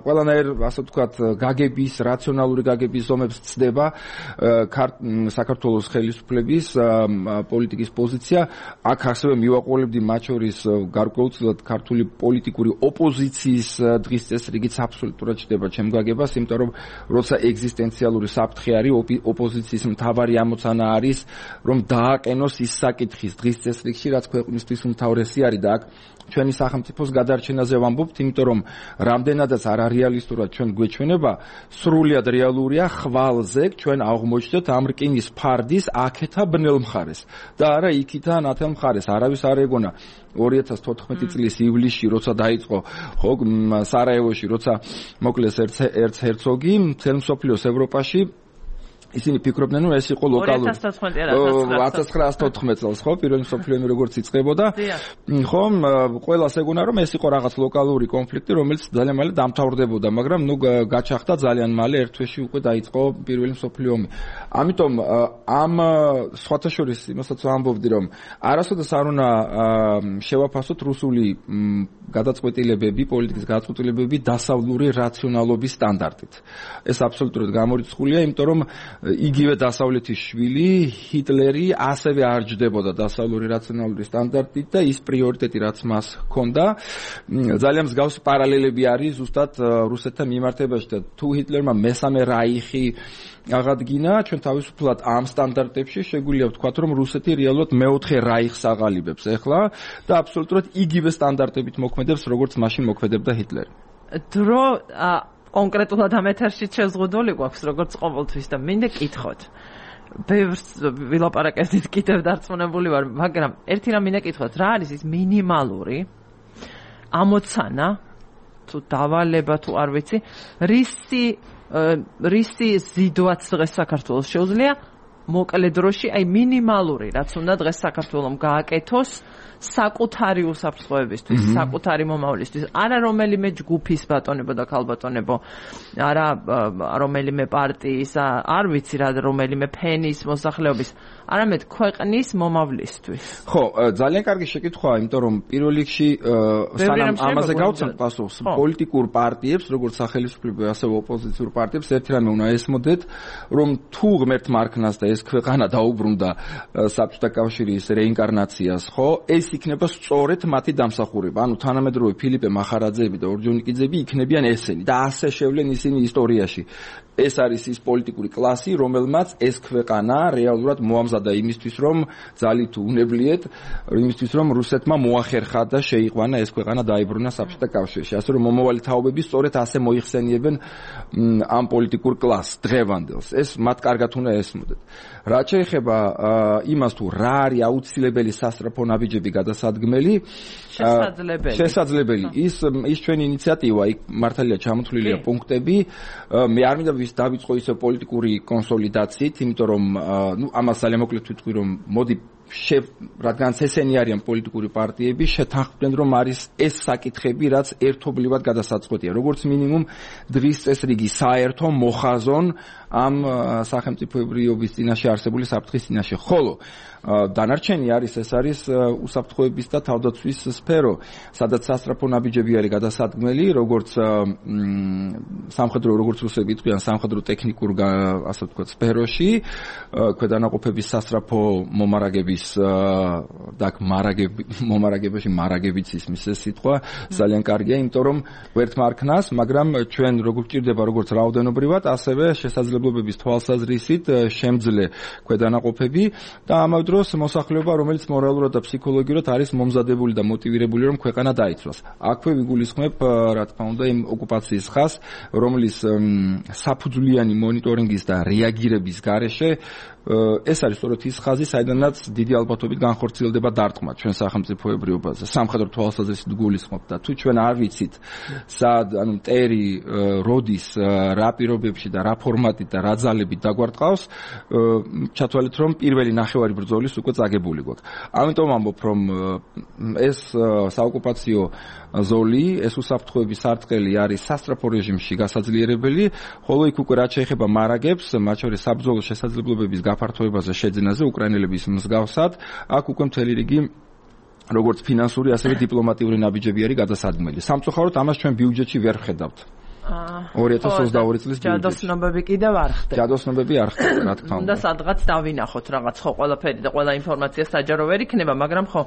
ყველანაირ ასე ვთქვათ გაგების რაციონალური გაგების ზომებს ცდება საქართველოს ხელისუფლების პოლიტიკის პოზიცია. აქ ასევე მივაყოლებდი მათ შორის გარკვეულწილად ქართული პოლიტიკური ოპოზიციის დღის წესრიგიც აბსოლუტურად ჩდება ჩემ გაგებას, იმიტომ რომ როცა ეგზისტენციალური საფრთხე არის, ოპოზიციის მთავარი ამოცანა არის რომ დააყენოს ის საკითხის დღის წესრიგში, რაც ქვეყნისთვის უმთავრესი არის და აქ ჩვენი სახელმწიფოს გადარჩენაზე ვამბობთ, იმიტომ რომ რამდენადაც არარეალისტურად ჩვენ გვეჩვენება, სრულიად რეალურია ხვალზე ჩვენ აღმოჩნდეთ ამ რკინის ფარდის აქეთა ბნელ მხარეს და არა იქითა ნათელ მხარეს. არავის არ ეგონა 2014 წლის ივლისში, როცა დაიწყო ხო სარაევოში, როცა მოკლეს ერცჰერცოგი მთელ მსოფლიოს ევროპაში ისინი ფიქრობდნენ რომ ეს იყო ლოკალური 1914 წელს ხო პირველი მსოფლიო ომი როგორც იწყებოდა ხო ყველას ეგონა რომ ეს იყო რაღაც ლოკალური კონფლიქტი რომელიც ძალიან მალე დამთავრდებოდა, მაგრამ ნუ გაჩაღდა ძალიან მალე, ერთ თვეში უკვე დაიწყო პირველი მსოფლიო ომი. ამიტომ ამ სხვათა შორის იმასაც ვამბობდი რომ არასოდეს არ უნდა შევაფასოთ რუსული გადაწყვეტილებები, პოლიტიკის გადაწყვეტილებები დასავლური რაციონალობის სტანდარტით. ეს აბსოლუტურად გამორიცხულია, იმიტომ რომ იგივე დასავლეთის შვილი ჰიტლერი ასევე არ ჯდებოდა დასავლური რაციონალური სტანდარტით და ის პრიორიტეტი რაც მას ჰქონდა, ძალიან მსგავსი პარალელები არის ზუსტად რუსეთთან მიმართებაში და თუ ჰიტლერმა მესამე რაიხი აღადგინა, ჩვენ თავისუფლად ამ სტანდარტებში შეგვიძლია ვთქვათ რომ რუსეთი რეალურად მეოთხე რაიხს აღალიბებს ახლა და აბსოლუტურად იგივე სტანდარტებით მოქმედებს როგორც მაშინ მოქმედებდა ჰიტლერი. დრო კონკრეტულად ამ ეთერში შეზღუდული გვაქვს როგორც ყოველთვის და მინდა კითხოთ. ბევრს ვილაპარაკებდით, კიდევ დარწმუნებული ვარ, მაგრამ ერთი რამ მინდა კითხოთ, რა არის ის მინიმალური ამოცანა თუ დავალება თუ არ ვიცი, რისი ზიდვაც დღეს საქართველოს შეუძლია მოკლე დროში, აი მინიმალური რაც უნდა დღეს საქართველოს გააკეთოს საკუთარი უსაფრთხოებისთვის, საკუთარი მომავლისთვის, არა რომელიმე ჯგუფის ბატონებო და ქალბატონებო, არა რომელიმე პარტიის, არ ვიცი რა, რომელიმე ფენის მოსახლეობის, არამედ ქვეყნის მომავლისთვის. ხო, ძალიან კარგი შეკითხვაა, იმიტომ რომ პირველ რიგში სანამ ამაზე გავცემთ პასუხს, პოლიტიკურ პარტიებს, როგორც სახელისუფლებრივ, ასევე ოპოზიციურ პარტიებს, ერთი რამე უნდა ესმოდეთ, რომ თუ ღმერთ მარქნას და ეს ქვეყანა დაუბრუნდა საბჭოთა კავშირის რეინკარნაციას, ხო? ეს იქნება სწორედ მათი დამსახურება. ანუ თანამედროვე ფილიპე მახარაძეები და ორჯონიკიძეები იქნებიან ესენი და ასე შევლენ ისინი ისტორიაში. ეს არის ის პოლიტიკური კლასი, რომელმაც ეს ქვეყანა რეალურად მოამზადა იმისთვის, რომ ძალით უნებლიეთ, იმისთვის, რომ რუსეთმა მოახერხა და შეიყვანა ეს ქვეყანა დაიბრუნა საბჭოთა კავშირში. ასე რომ მომავალი თაობები სწორედ ასე მოიხსენიებენ ამ პოლიტიკურ კლასს, დღევანდელს. ეს მათ კარგად უნდა ესმოდეთ. რაც შეეხება იმას თუ რა არის აუცილებელი სასწრაფო ნაბიჯები გადასადგმელი, შესაძლებელი. ის ჩვენი ინიციატივა, იქ მართალია ჩამოთვლილია პუნქტები. მე არ მინდა დავიწყო ისე პოლიტიკური კონსოლიდაციით, იმიტომ რომ ამას ძალიან მოკლედ ვიტყვი, რომ მოდი რადგანაც ესენი არიან პოლიტიკური პარტიები, შეთანხმდნენ, რომ არის ეს საკითხები, რაც ერთობლივად გადასაწყვეტია. როგორც მინიმუმ დღის წესრიგი საერთო მოხაზონ ამ სახელმწიფოებრიობის წინაშე არსებული საფრთხის წინაშე. ხოლო დანარჩენი არის უსაფრთხოების და თავდაცვის სფერო, სადაც სასწრაფო ნაბიჯები არის გადასადგმელი, როგორც სამხედრო, როგორც რუსები იტყვიან, სამხედრო ტექნიკურ ასე ვთქვათ სფეროში, ქვედანაყოფების სასწრაფო მომარაგების და მომარაგებაში მარაგებიც ისმის ეს სიტყვა ძალიან კარგია, იმიტომ რომ ვერთ მარქნას, მაგრამ ჩვენ როგორ გვჭირდება როგორც რაოდენობრივად, ასევე შესაძლებლობების თვალსაზრისით შემძლე ქვედანაყოფები და ამავდროულად მოსახლეობა, რომელიც მორალურად და ფსიქოლოგიურად არის მომზადებული და მოტივირებული, რომ ქვეყანა დაიცვას. აქვე ვიგულისხმებ, რა თქმა უნდა, იმ ოკუპაციის ხაზს, რომლის საფუძვლიანი მონიტორინგის და რეაგირების გარეშე ეს არის სწორედ ის ხაზი, საიდანაც დიდი ალბათობით განხორციელდება დარტყმა ჩვენ სახელმწიფოებრიობაზე. სამხედრო თვალსაზრისით გულისხმობ და თუ ჩვენ არ ვიცით, სად, ანუ ტერი, როდის, რა პირობებში და რა ფორმატით და რა ძალებით დაგვარტყავს, ჩათვალეთ, რომ პირველი ნახევარი ბრძოლის უკვე წაგებული გვაქვს. ამიტომ ამბობ, რომ ეს საოკუპაციო ზოლი, ეს უსაფრთხოების სარტყელი არის სასწრაფო რეჟიმში გასაძლიერებელი, ხოლო იქ უკვე რაც შეეხება მარაგებს, მათ შორის საბრძოლო შესაძლებლობების გაფართოებაზე შეძენაზე უკრაინელების მსგავსად, აქ უკვე მთელი რიგი როგორც ფინანსური, ასევე დიპლომატიური ნაბიჯები არის გადასადგმელი. სამწუხაროდ ამას ჩვენ ბიუჯეტში ვერ ვხედავთ. 2022 წლის ბიუჯეტში. ჯადოსნობები კიდევ არ ხდება. ჯადოსნობები არ ხდება, რა თქმა უნდა. და სადღაც დავინახოთ რაღაც, ხო, ყველაფერი და ყველა ინფორმაცია საჯარო ვერ იქნება, მაგრამ ხო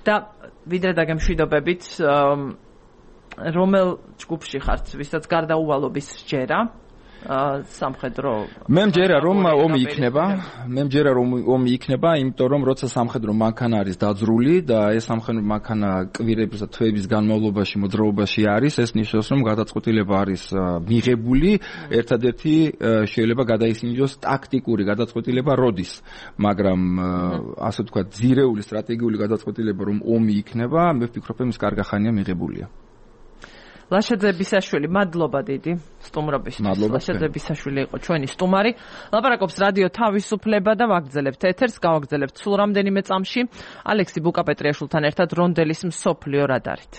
და ვიდრე დაგემშვიდობებით, რომელ ჯგუფში ხართ, ვისაც გარდაუვალობის სჯერა? სამხედრო მე მჯერა რომ ომი იქნება, იმიტომ რომ როცა სამხედრო მანქანა არის დაძრული და ეს სამხედრო მანქანა კვირების და თვეების განმავლობაში მოძრაობაში არის, ეს ნიშნავს რომ გადაწყვეტილება არის მიღებული, ერთადერთი შეიძლება გადაისინჯოს ტაქტიკური გადაწყვეტილება როდის, მაგრამ ასე ვთქვათ ძირეული სტრატეგიული გადაწყვეტილება რომ ომი იქნება, მე ვფიქრობ ის კარგახანია მიღებულია. ლაშაძე ბისაშვილი, მადლობა დიდი სტუმრობისთვის. ლაშაძე ბისაშვილი იყო ჩვენი სტუმარი. ლაპარაკობს რადიო თავისუფლება და ვაგრძელებთ ეთერს, გავაგრძელებთ სულ რამდენიმე წამში ალექსი ბუკაპეტრიაშვილთან ერთად რონდელის მსოფლიო რადარით.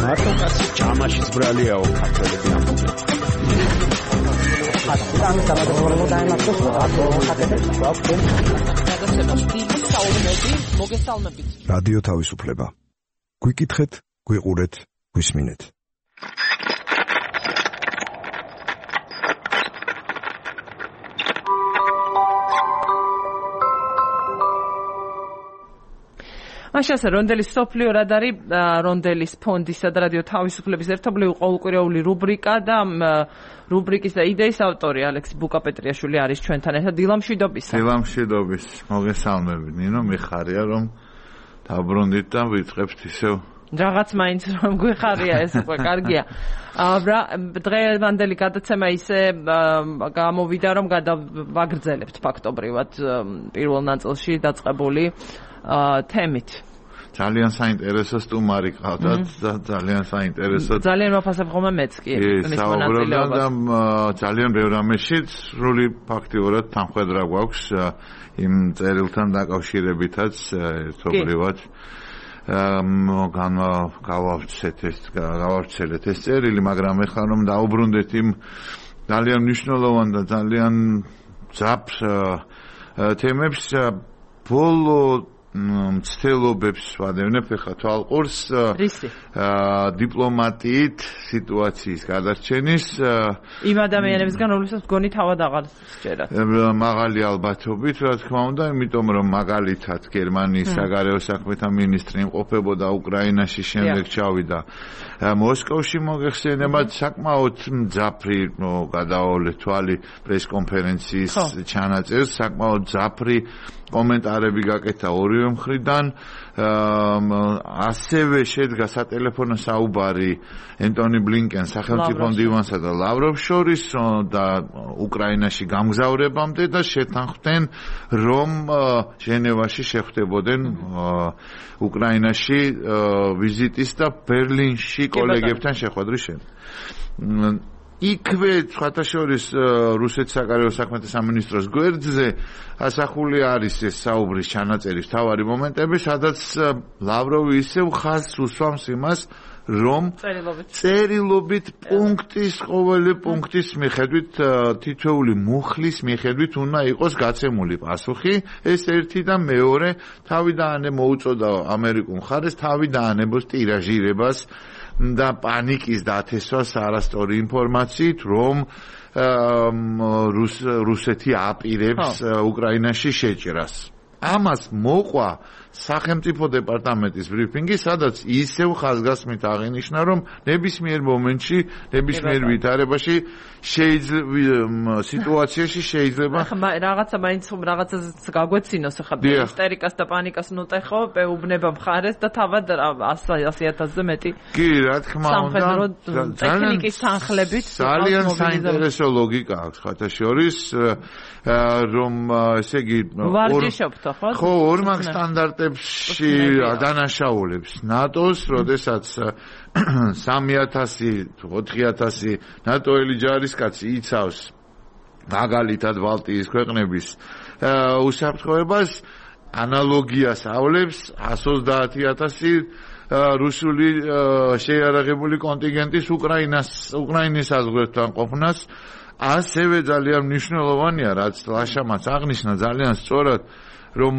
მარტო კაცი ჯამაშიც ბრალიაო ქართველები ამბობენ. რადიო თავისუფლება. გვიკითხეთ, გვიყურეთ, გვისმინეთ. მაშასე რონდელის სოფლიო რადარი, რონდელის ფონდისა და რადიო თავისუფლების ერთობლივი ყოველკვირეული რუბრიკა და რუბრიკის და იდეის ავტორი ალექსი ბუკაპეტრიაშვილი არის ჩვენთან ერთად. დილამშვიდობისა. დილამშვიდობის, მოგესალმებით. ნინო, მიხარია რომ დაბრუნდით და ვიწყებთ ისევ. რაღაც მაინც რომ გვიხარია ეს უკვე კარგია. დღევანდელი გადაცემა ისე გამოვიდა რომ გადავაგრძელებთ ფაქტობრივად პირველ ნაწილში დაწყებული თემით. ძალიან საინტერესო სტუმარი ყავდათ და ძალიან საინტერესო. ძალიან მაფასებ ხოლმე მეც კი მის მონაწილეობას. ძალიან ბევრ რამეში სრული ფაქტიურად თანხმედრა გვაქვს იმ წერილთან დაკავშირებითაც ერთობლივად. გავავრცელეთ ეს წერილი, მაგრამ ეხლა რომ დაუბრუნდეთ იმ ძალიან მნიშვნელოვან და ძალიან ძაფ თემებს, ბოლო მცდელობებს ვადევნებ ხა თვალყურს დიპლომატიით სიტუაციის გადარჩენის იმ ადამიანებისგან რომლებსაც გონი თავად აღარ სჯერათ მაღალი ალბათობით რა თქმა უნდა იმიტომ რომ მაგალითად გერმანიის საგარეო საქმეთა მინისტრი იმყოფებოდა უკრაინაში შემდეგ ჩავიდა მოსკოვში მოგეხსენებათ საკმაოდ მძაფრი გადაოლე თვალი პრესკონფერენციის ჩანაწერს საკმაოდ მძაფრი კომენტარები გაკეთა ორივე მხრიდან ასევე შედგა სატელეფონო საუბარი ენტონი ბლინკენს სახელმწიფო მდივანსა და ლავროვს შორის და უკრაინაში გამგზავრებამდე და შეთანხმდნენ რომ ჟენევაში შეხვდებოდნენ უკრაინაში ვიზიტის და ბერლინში კოლეგებთან შეხვედრის შემდეგ იქვე სხვათა შორის რუსეთის საგარეო საქმეთა სამინისტროს გვერდზე ასახული არის ეს საუბრის ჩანაწერის მთავარი მომენტები, სადაც ლავროვი ისევ ხაზს უსვამს იმას, რომ წერილობით პუნქტის ყოველი პუნქტის მიხედვით თითოეული მუხლის მიხედვით უნდა იყოს გაცემული პასუხი. ეს ერთი და მეორე თავიდანე მოუწოდა ამერიკულ მხარეს თავიდანებოს ტირაჟირებას და პანიკის დათესვას არასწორი ინფორმაციით, რომ რუსეთი აპირებს უკრაინაში შეჭრას. ამას მოყვა სახელმწიფო დეპარტამენტის ბრიფინგი, სადაც ისევ ხაზგასმით აღინიშნა, რომ ნებისმიერ მომენტში, ნებისმიერ ვითარებაში სიტუაციაში შეიძლება რაღაცა მაინც რაღაცას გაგვეცინოს ახლა ისტერიკას და პანიკას ნუტეხო პეუბნება მხარეს და თავად 100,000-ზე მეტი კი რა თქმა უნდა ტექნიკის თანხლებით ძალიან საინტერესო ლოგიკა აქვს ხათა შორის რომ ესე იგი ვარჯიშობთ ხო ორმაგ სტანდარტებში დანაშაულებს ნატოს, როდესაც 3,000-4,000 ნატოელი ჯარისკაცი იცავს მაგალითად ბალტიის ქვეყნების უსაფრთხოებას, ანალოგიას ავლებს 130,000 რუსული შეიარაღებული კონტინგენტის უკრაინის საზღვრებთან ყოფნას. ასევე ძალიან მნიშვნელოვანია, რაც ლაშამაც აღნიშნა ძალიან სწორად, რომ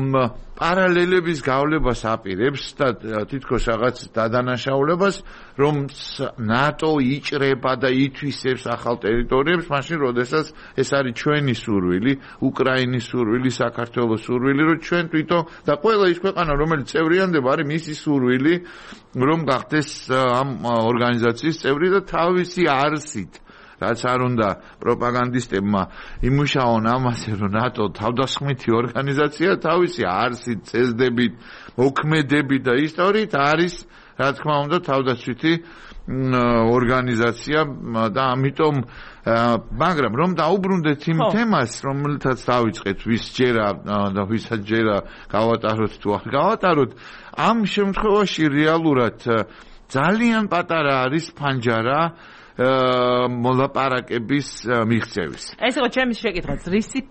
პარალელების გავლებას აპირებს და თითქოს რაღაც დადანაშაულებას, რომ ნატო იჭრება და ითვისებს ახალ ტერიტორიებს, მაშინ როდესაც ეს არის ჩვენი სურვილი, უკრაინის სურვილი, საქართველოს სურვილი, რომ ჩვენ თვითონ და ყველა ის ქვეყანა, რომელიც წევრიანდება, არის მისი სურვილი, რომ გახდეს ამ ორგანიზაციის წევრი და თავისი არსით რაც არ უნდა პროპაგანდისტებმა იმუშაონ ამაზე, რომ ნატო თავდასხმითი ორგანიზაცია თავისი არსით, წესდებით, მოქმედებით და ისტორიით არის, რა თქმა უნდა, თავდაცვითი ორგანიზაცია და ამიტომ მაგრამ რომ დაუბრუნდეთ იმ თემას, რომელთაც დავიწყეთ, ვის ჯერა და ვისაც ჯერა გავატაროთ თუ არ გავატაროთ, ამ შემთხვევაში რეალურად ძალიან პატარა არის ფანჯარა მოლაპარაკების მიღწევის. ეს იყო ჩემი შეკითხვაც, რისი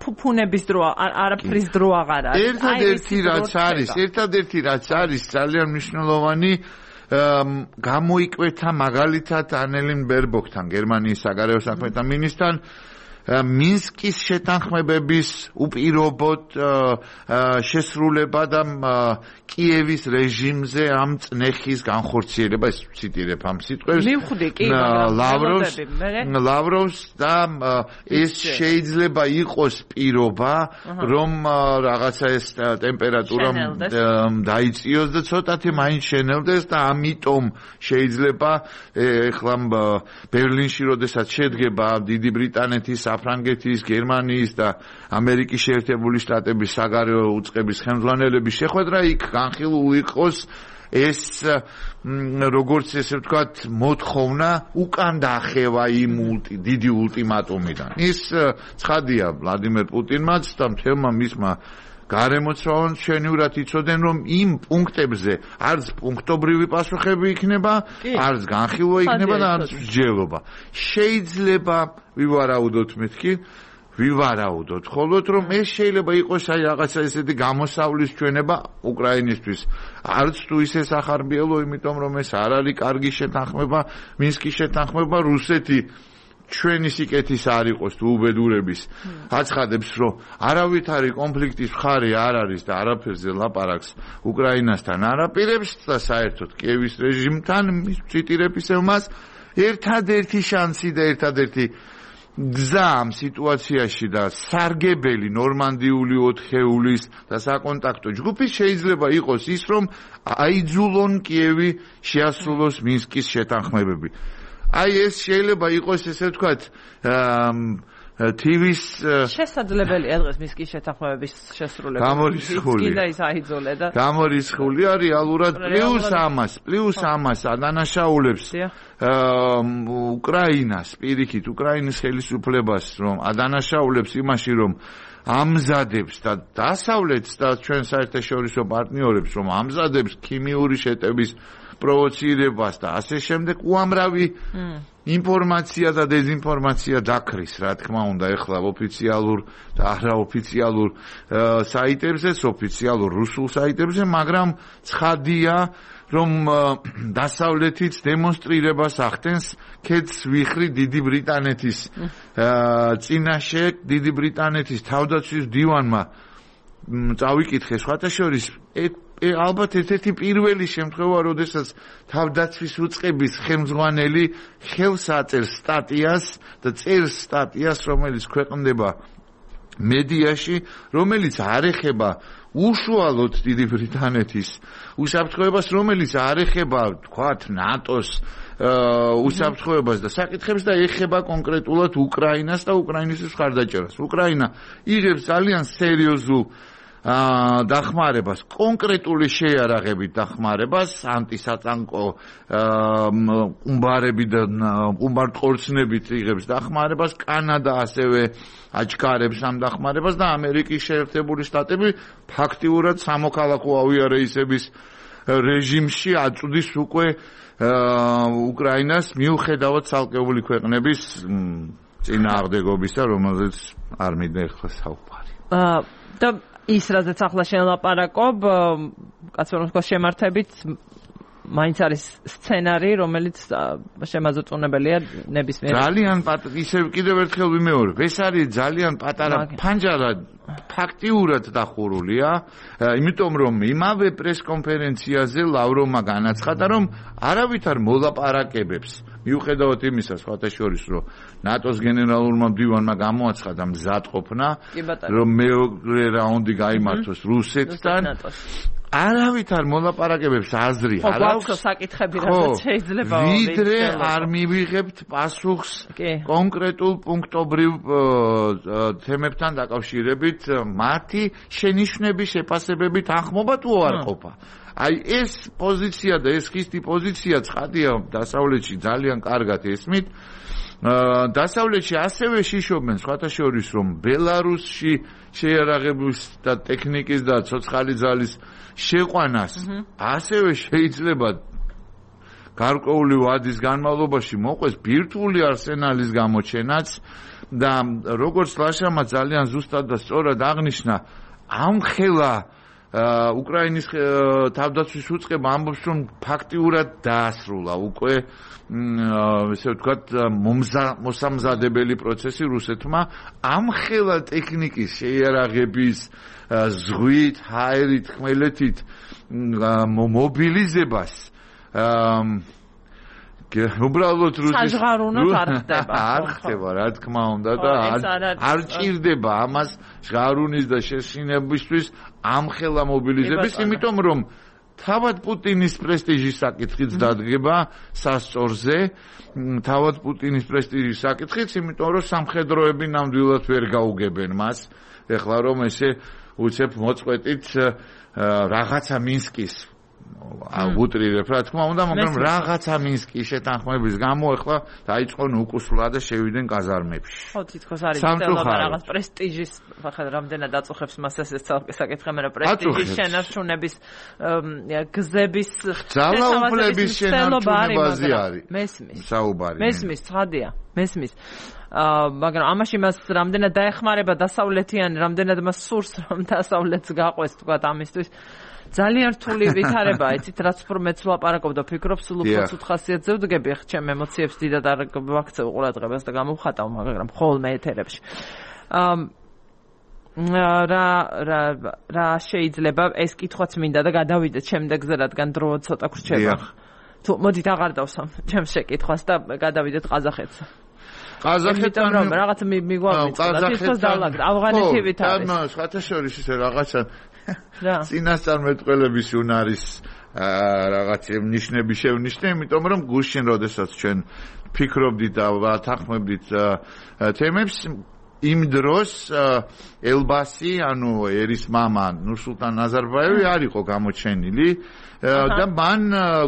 ფუფუნების დრო არაფრის დრო აღარ არის. ერთადერთი რაც არის ძალიან მნიშვნელოვანი გამოიკვეთა მაგალითად ანელინ ბერბოკთან, გერმანიის საგარეო საქმეთა მინისტრთან მინსკის შეთანხმებების უპირობოდ შესრულება და კიევის რეჟიმზე ამ წნეხის განხორციელება, ეს ციტირებ ამ სიტყვებს. მივხვდი კი, ლავროვს და ეს შეიძლება იყოს პირობა, რომ რაღაცა ეს ტემპერატურა დაიწიოს და ცოტათი მაინც შენელდეს და ამიტომ შეიძლება ეხლა ბერლინში როდესაც შედგება დიდი ბრიტანეთის, საფრანგეთის, გერმანიის და ამერიკის შეერთებული შტატების საგარეო უწყების ხელმძღვანელების შეხვედრა, იქ განხილულ იყოს ეს როგორც ესე ვთქვათ მოთხოვნა უკან დაახევა იმ დიდი ულტიმატუმიდან. ის ცხადია ვლადიმერ პუტინმაც და მთელმა მისმა გარემოცვალონ ჩვენიურად იცოდნენ, რომ იმ პუნქტებზე არც პუნქტობრივი პასუხები იქნება, არც განხილვა იქნება და არც მსჯელობა. შეიძლება ვივარაუდოთ მეთქი, ვივარაუდოთ, ხოლოდ რომ ეს შეიძლება იყოს აი რაღაცა ესეთი გამოსავლის ჩვენება უკრაინისთვის. არც თუ ისე სახარბიელო, იმიტომ რომ ეს არ არის კარგი შეთანხმება, მინსკის შეთანხმება, რუსეთი ჩვენი სიკეთის არ იყოს თუ უბედურების აცხადებს რომ არავითარი კონფლიქტის მხარე არ არის და არაფერზე ლაპარაკს უკრაინასთან არაპირებს და საერთოდ კიევის რეჟიმთან ციტირებს მას ერთადერთი შანსი და ერთადერთი გზა ამ სიტუაციაში და სარგებელი ნორმანდიული 4-ხეულის და საკონტაქტო ჯგუფის შეიძლება იყოს ის რომ აიძულონ კიევი შეასრულოს მინსკის შეთანხმებები. აი ეს შეიძლება იყოს ესე ვთქვათ TV-ს შესაძლებელია დღეს მინსკის შეთანხმებების შესრულება. გამორიცხულია ის აიძულე და გამორიცხულია რეალურად პლუს ამას ადანაშაულებს უკრაინას პირიქით უკრაინის ხელისუფლებას რომ ადანაშაულებს იმაში რომ ამზადებს და დასავლეთს და ჩვენ საერთაშორისო პარტნიორებს რომ ამზადებს ქიმიური შეტევის პროვოცირებას და ასე შემდეგ უამრავი ინფორმაცია და დეзинფორმაცია დაქრის რა თქმა უნდა ეხლა ოფიციალურ და არაოფიციალურ საიტებზე, ოფიციალურ რუსულ საიტებზე, მაგრამ ცხადია რომ დასავლეთიც დემონსტრირებას ახდენს ქედს ვიხრი დიდი ბრიტანეთის წინაშე დიდი ბრიტანეთის თავდაცვის მდივანმა წავიკითხე სხვათა შორის ალბათ ერთ-ერთი პირველი შემთხვევა, როდესაც თავდაცვის უწყების ხელმძღვანელი ხელს აწერს სტატიას და წერს სტატიას, რომელიც ქვეყნდება მედიაში, რომელიც არ ეხება უშუალოდ დიდი ბრიტანეთის უსაფრთხოებას, რომელიც არ ეხება, თქვათ, ნატოს უსაფრთხოებას და საკითხებს და ეხება კონკრეტულად უკრაინას და უკრაინის მხარდაჭერას. უკრაინა იღებს ძალიან სერიოზულ დახმარებას, კონკრეტული შეიარაღებით დახმარებას, ანტისატანკო ყუმბარები და ყუმბარწყორცნებით იღებს დახმარებას, კანადა ასევე აჩქარებს ამ დახმარებას და ამერიკის შეერთებული შტატები ფაქტიურად სამოქალაქო ავიარეისების რეჟიმში აწვდის უკვე უკრაინას მიუხედავად ცალკეული ქვეყნების წინააღმდეგობისა, რომელზეც არ მინდა ახლა საუბარი. და ის რაზეც ახლა შელაპარაკობ, კაცობრიობის შემართებით მაინც არის სცენარი, რომელიც შემაძოწუნებელია ნებისმიერ. ძალიან ისევ კიდევ ერთხელ ვიმეორებ, ეს არის ძალიან პატარა ფანჯარა ფაქტიურად დახურულია, იმიტომ რომ იმავე პრესკონფერენციაზე ლავროვმა განაცხადა, რომ არავითარ მოლაპარაკებებს მიუხედავად იმისა, სხვათა შორის, რომ ნატოს გენერალურმა მდივანმა გამოაცხადა მზადყოფნა, რომ მეორე რაუნდი გაიმართოს რუსეთთან. არავითარ მოლაპარაკებებს აზრი არ აქვს საკითხები რაც შეიძლება ვიდრე არ მივიღებთ პასუხს კონკრეტულ პუნქტობრივ თემებთან დაკავშირებით მათი შენიშვნების შეფასებებით ახმობა თუ არ ყოფა. აი ეს პოზიცია და ეს ხისტი პოზიცია ცხადია დასავლეთში ძალიან კარგად ესმით. დასავლეთში ასევე შიშობენ სხვათა შორის რომ ბელარუსში შეიარაღების და ტექნიკის და ცოცხალი ძალის შეყვანას ასევე შეიძლება გარკვეული ვადის განმავლობაში მოყვეს ბირთვული არსენალის გამოჩენაც და როგორც ლაშამა ძალიან ზუსტად და სწორად აღნიშნა ამხელა უკრაინის თავდაცვის უწყება ამბობს რომ ფაქტიურად დაასრულა უკვე ესე ვთქვათ მოსამზადებელი პროცესი რუსეთმა ამხელა ტექნიკის შეიარაღების ზღვით, ჰაერით, ხმელეთით მობილიზებას უბრალოდ რუსეთის საჟღარუნოდ არ ხდება. არ ხდება, რა თქმა უნდა და არ ჭირდება ამას ჟღარუნის და შეშინებისთვის ამხელა მობილიზების, იმიტომ რომ თავად პუტინის პრესტიჟის საკითხიც დადგება სასწორზე, თავად პუტინის პრესტიჟის საკითხიც, იმიტომ რომ სამხედროები ნამდვილად ვერ გაუგებენ მას. ეხლა რომ ესე უცებ მოწყვეტით რაღაცა მინსკის უტრირებ, რა თქმა უნდა, მაგრამ რაღაცა მინსკის შეთანხმების გამო ახლა დაიწყონ უკუსვლა და შევიდნენ კაზარმებში. ხო, თითქოს არის ცდილობა რაღაც პრესტიჟის, ხა რამდენად აწუხებს მას ეს საკითხი, მაგრამ პრესტიჟის შენარჩუნების გზების ძალაუფლების შენარჩუნებაზე არის. მესმის. საუბარი. მესმის, ცხადია. მესმის. მაგრამ ამაში მას რამდენად დაეხმარება დასავლეთიანი, რამდენად მას სურს რომ დასავლეთს გაყვეს თქვათ ამისთვის. ძალიან რთული ვითარება, იცით, რაც უფრო მეც ვლაპარაკობ და ფიქრობ, სულ უფრო ცუდ ხასიათზე ვდგები, ხ ჩემ ემოციებს დიდად არ ვაქცევ ყურადღებას და გამოვხატავ, მაგრამ ხოლმე ეთერებში. რა შეიძლება ეს კითხვაც მინდა და გადავიდეთ შემდეგზე, რადგან დრო ცოტა გრჩება. თუ მოდით აღარ დავსვამ ჩემს შეკითხვას და გადავიდეთ ყაზახეთს. ყაზახეთთან რაღაც მიგვამიწყდა, თვითონ დავლაგდა ავღანეთივით არის. და სხვათაშორის ისე რაღაცა წინასწარმეტყველების უნარის რაღაც ნიშნები შევნიშნე, იმიტომ რომ გუშინ როდესაც ჩვენ ფიქრობდით და ვათანხმებდით თემებს იმ დროს ელბასი, ანუ ერის მამა ნურსულტან ნაზარბაევი არ იყო გამოჩენილი და მან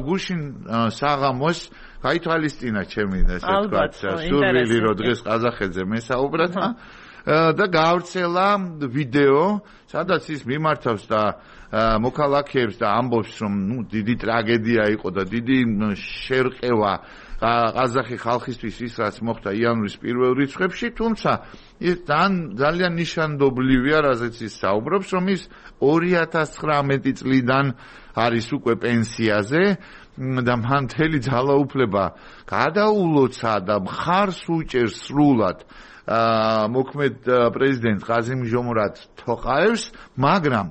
გუშინ საღამოს გაითვალისწინა ჩემი ესე ვთქვათ სურვილი რომ დღეს ყაზახეთზე მესაუბრად და გავრცელა ვიდეო, სადაც ის მიმართავს და მოქალაქეებს და ამბობს რომ დიდი ტრაგედია იყო და დიდი შერყევა ყაზახი ხალხისთვის ის რაც მოხდა იანვრის პირველ რიცხვებში, თუმცა ის ძალიან ნიშანდობლივია, რაზეც ის საუბრობს, რომ ის 2019 წლიდან არის უკვე პენსიაზე და მან მთელი ძალაუფლება გადაულოცა და მხარს უჭერს სრულად მოქმედ პრეზიდენტ ყაზიმ ჟომრათ თოყაევს, მაგრამ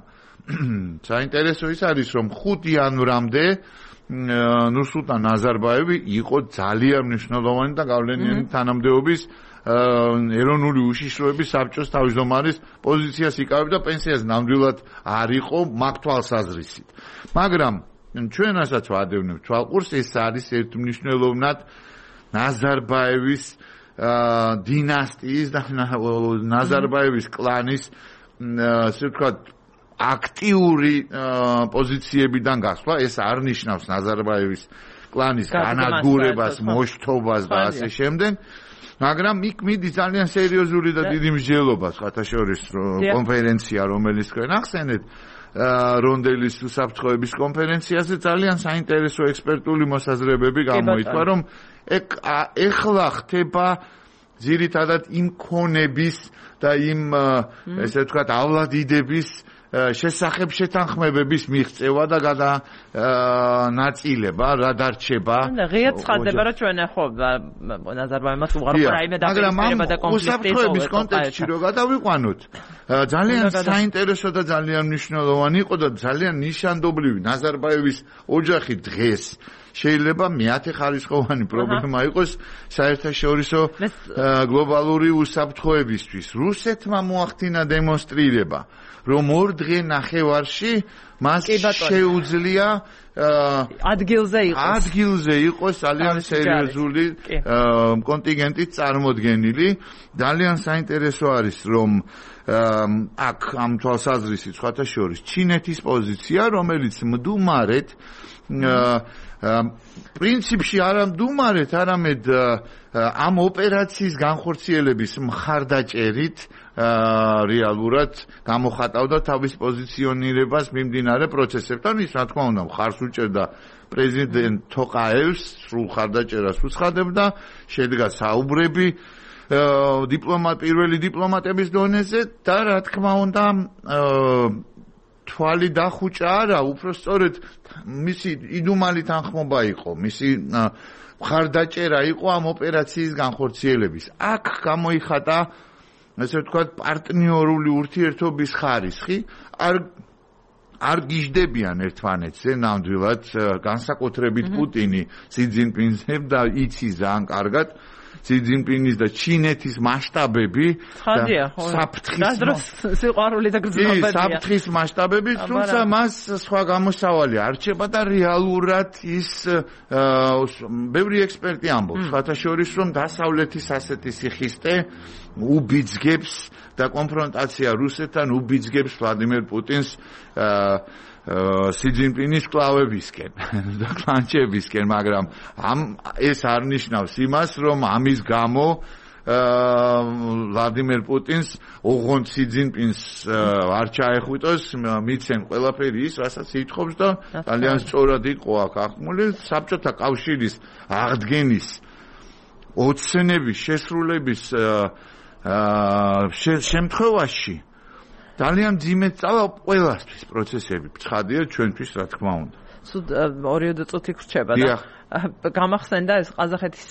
საინტერესო ის არის, რომ 5 იანვრამდე ნურსულტან ნაზარბაევი იყო ძალიან მნიშვნელოვანი და გავლენიანი თანამდებობის ეროვნული უშიშროების საბჭოს თავმჯდომარის პოზიციას იკავებდა, პენსიას ნამდვილად არ იყო მაგ თვალსაზრისით. მაგრამ ჩვენ რასაც ვადევნებთ თვალყურს, ეს არის ერთმნიშვნელოვნად ნაზარბაევის დინასტიის და ნაზარბაევის კლანის ასე ვთქვათ აქტიური პოზიციებიდან გასვლა. ეს არ ნიშნავს ნაზარბაევის კლანის განადგურებას, მოშთობას და ასე შემდეგ, მაგრამ იქ მიდის ძალიან სერიოზული და დიდი მსჯელობა, სხვათაშორის კონფერენცია, რომელიც თქვენ ახსენეთ, რონდელის უსაფრთხოების კონფერენციაზე ძალიან საინტერესო ექსპერტული მოსაზრებები გამოიწვა, რომ ეხლა ხდება ძირითადად იმ ქონების და იმ ესე ვთქვათავლადიდების შესახებ შეთანხმებების მიღწევა და განაწილება, რა დარჩება. და ღიად ცხადდება, რომ ჩვენ ხო ნაზარბაევმაც უღარ რაიმე დაპირისპირება და კონფლიქტი უსაფრთხოების კონტექსტში რო გადავიყვანოთ, ძალიან საინტერესო და ძალიან მნიშვნელოვანი იყო და ძალიან ნიშანდობლივი ნაზარბაევის ოჯახი დღეს შეიძლება მეათე ხარისხოვანი პრობლემა იყოს საერთაშორისო გლობალური უსაფრთხოებისთვის. რუსეთმა მოახდინა დემონსტრირება, რომ 2 დღე ნახევარში მას შეუძლია ადგილზე იყოს ძალიან სერიოზული კონტინგენტით წარმოდგენილი. ძალიან საინტერესო არის, რომ აქ ამ თვალსაზრისით სხვათა შორის ჩინეთის პოზიცია, რომელიც მდუმარეთ პრინციპში არა მდუმარეთ, არამედ ამ ოპერაციის განხორციელების მხარდაჭერით რეალურად გამოხატავდა თავის პოზიციონირებას მიმდინარე პროცესებთან. ის რა თქმა უნდა მხარს უჭერდა პრეზიდენტ თოყაევს, სრულ მხარდაჭერას უცხადებდა, შედგა საუბრები პირველი დიპლომატების დონეზე და რა თქმა უნდა თვალი დახუჭა არა, უბრალოდ მისი იდუმალი თანხმობა იყო, მისი მხარდაჭერა იყო ამ ოპერაციის განხორციელების. აქ გამოიხატა ასე ვთქვათ პარტნიორული ურთიერთობის ხარისხი, არ გიждდებიან ერთმანეთზე ნამდვილად, განსაკუთრებით პუტინი სი ძინპინზე და იცის ძალიან კარგად სი ძინპინის და ჩინეთის მასშტაბები ცხადია, ხო. სიყვარული და გრძნობებია. საფრთხის მასშტაბები, თუმცა მას სხვა გამოსავალი არჩება და რეალურად ის ბევრი ექსპერტი ამბობს, სხვათაშორის რომ დასავლეთის ასეთი სიხისტე უბიძგებს და კონფრონტაცია რუსეთთან უბიძგებს ვლადიმერ პუტინს სი ძინპინის კლავებისკენ და კლანჩებისკენ, მაგრამ ეს არ ნიშნავს იმას, რომ ამის გამო ვლადიმერ პუტინს ოღონდ სი ძინპინს არ ჩაეხვიტოს, მიცემ ყველაფერი ის, რასაც ითხოვს და ძალიან სწორად იყო აქ ახმული საბჭოთა კავშირის აღდგენის ოცნების შესრულების შემთხვევაში ძალიან ძიმედ წავა ყველასთვის პროცესები ცხადია ჩვენთვის რა თქმა უნდა. სულ 2 წუთი გრჩება და გამახსენდა ეს ყაზახეთის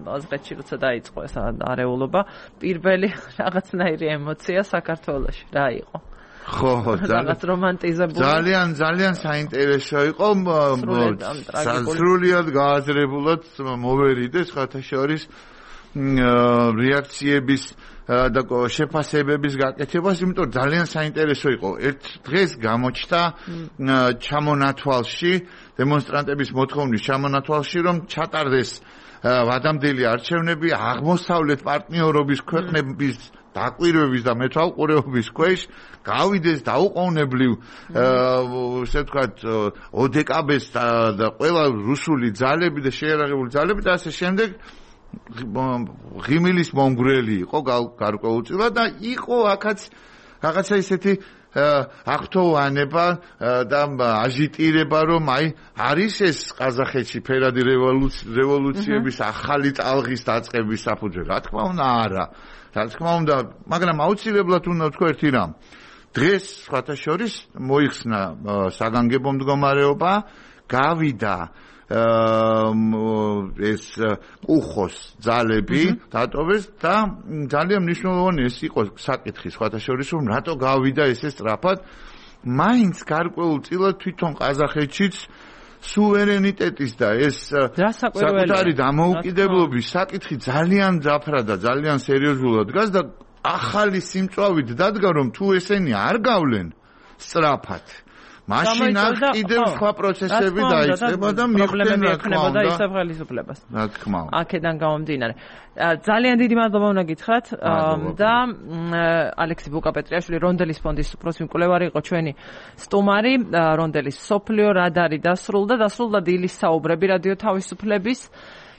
აზღეთში როცა დაიწყო ეს არეულობა პირველი რაღაცნაირი ემოცია საქართველოში რა იყო? ხო, რაღაც რომანტიზებული. ძალიან საინტერესო იყო. სრულიად გააზრებულად მოვერიდეს ხათაშორის რეაქციების და შეფასებების გაკეთებას, იმიტომ ძალიან საინტერესო იყო. ერთ დღეს გამოჩნდა ჩამონათვალში, დემონსტრანტების მოთხოვნის ჩამონათვალში, რომ ჩატარდეს ვადამდელი არჩევნები აღმოსავლეთ პარტნიორობის ქვეყნების დაკვირვების და მეთვალყურეობის ქვეშ გავიდეს დაუყოვნებლივ ესე ვთქვათ ოდეკაბეს და ყველა რუსული ძალები და შეერაღებული ძალები და ასე შემდეგ ღიმილის მომგვრელი იყო გარკვეულწილად და იყო აქაც რაღაცა ისეთი აღთოვანება და აჟიტირება რომ აი არის ეს ყაზახეთში ფერადი რევოლუციების ახალი ტალღის დაწყების საფუძველი. რა თქმა უნდა არა. რა თქმა უნდა, მაგრამ აუცილებლად უნდა ვთქვა ერთი რამ. დღეს სხვათა შორის მოიხსნა საგანგებო მდგომარეობა, გავიდა ეს უხოს ძალები დატოვეს და ძალიან მნიშვნელოვანი ეს იყო საკითხი სხვათა შორის რომ რატო გავიდა ესე სწრაფად მაინც გარკვეულწილად თვითონ ყაზახეთშიც სუვერენიტეტის და ეს საკუთარი დამოუკიდებლობის საკითხი ძალიან ძაფრა და ძალიან სერიოზულად დგას და ახალი სიმწვავით დადგა რომ თუ ესენი არ გავლენ სწრაფად მაშინ აქ კიდევ სხვა პროცესები დაიწყება და მიხდნენ რა თქმა უნდა ისაფხალისუფლებას. რა თქმა უნდა. აქედან გამომდინარე. ძალიან დიდი მადლობა უნდა გითხრათ და ალექსი ბუკაპეტრიაშვილი რონდელის ფონდის უფროსი მკვლევარი იყო ჩვენი სტუმარი. რონდელის სოფლიო რადარი დასრულდა დილის საუბრები რადიო თავისუფლების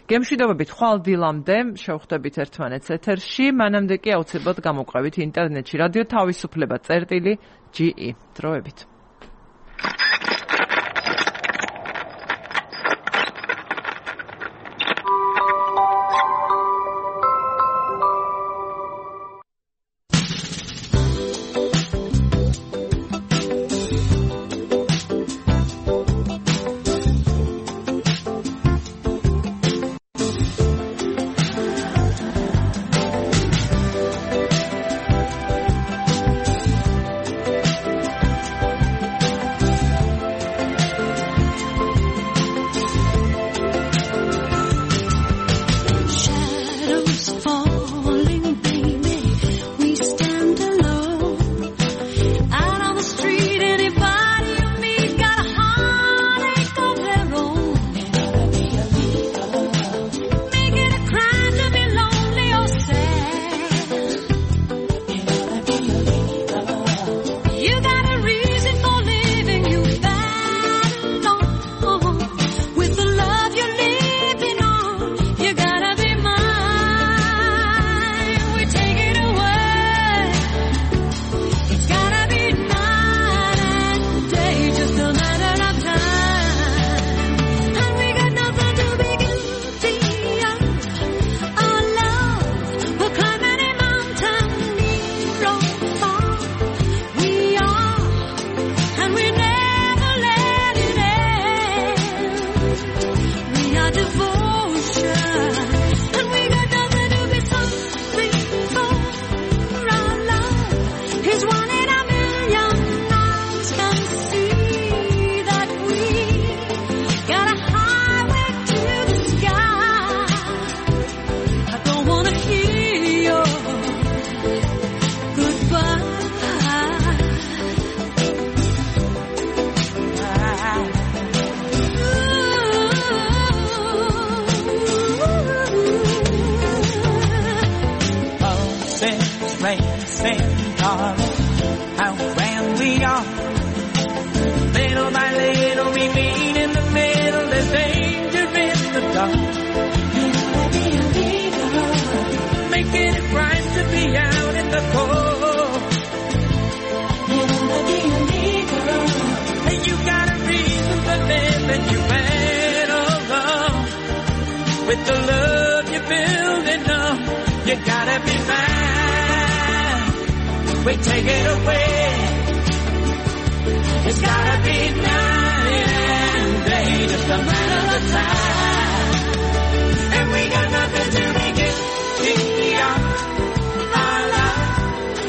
გემშვიდობებით ხვალ დილამდე შევხვდებით ერთმანეთს ეთერში. მანამდე კი აუცილებლად გამოყვებით ინტერნეტში რადიო თავისუფლება.ge დროებით. With the love you've been we take it away. It's gotta be night and day, just a matter of time. And we got nothing to make it beyond our love.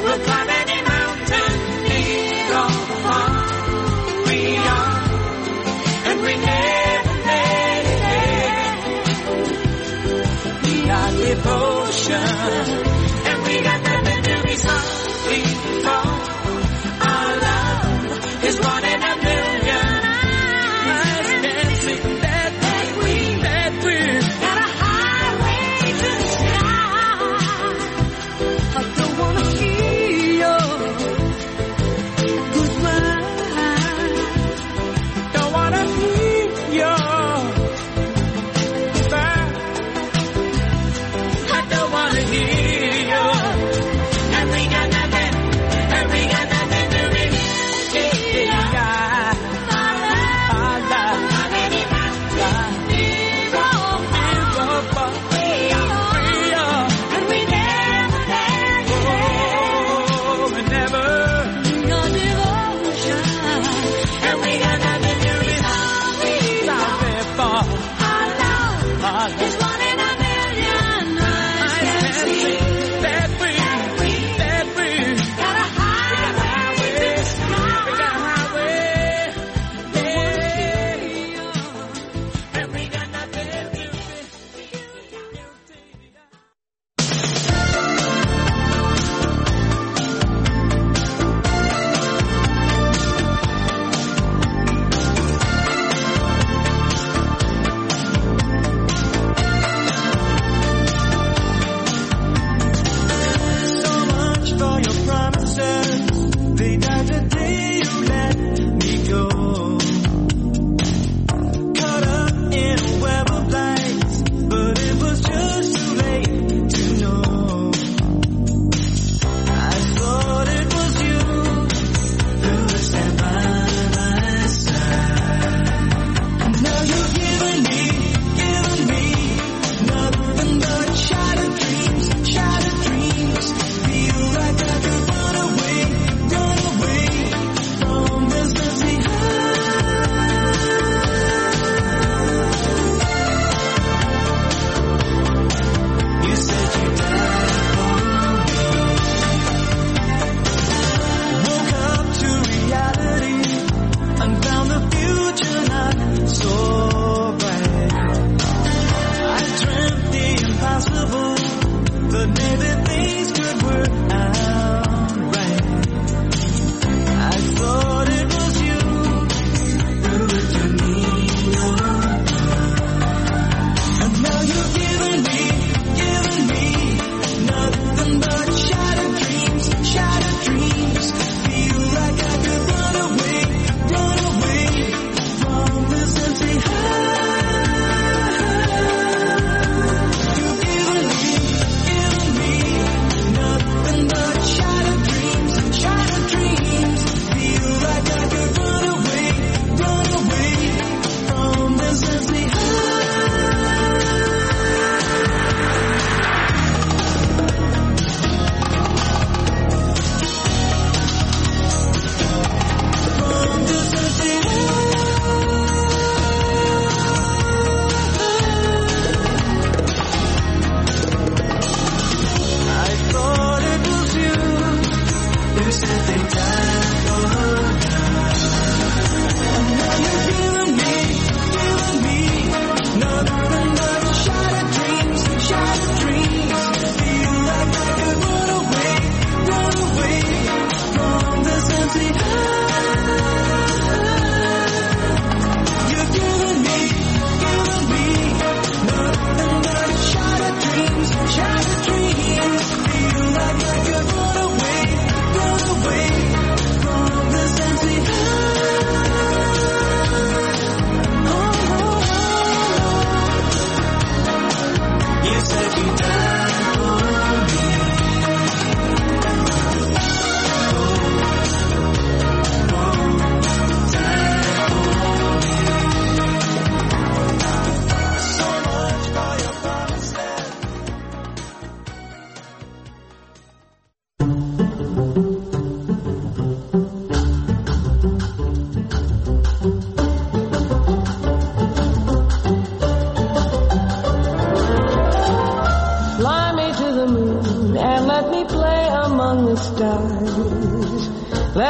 We'll climb any mountain, lead all the harm we are. And we never let it end. We are devotion. And we got nothing to be sorry for. Our love is one in a million. I can't see that we got a highway to shine. I don't wanna hear your goodbye. Don't wanna hear your goodbye. I don't wanna hear your. And we got nothing to be. Yeah.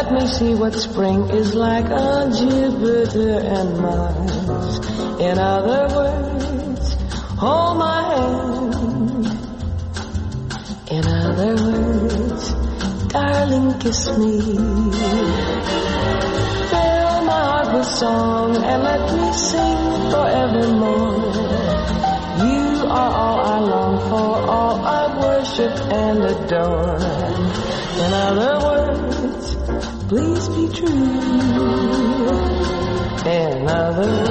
Let me see what spring is like on Jupiter and Mars. In other words, hold my hand. In other words, darling, kiss me. Fill my heart with song and let me sing forevermore. You are all I long for, all I worship and adore. In other words, please be true. In other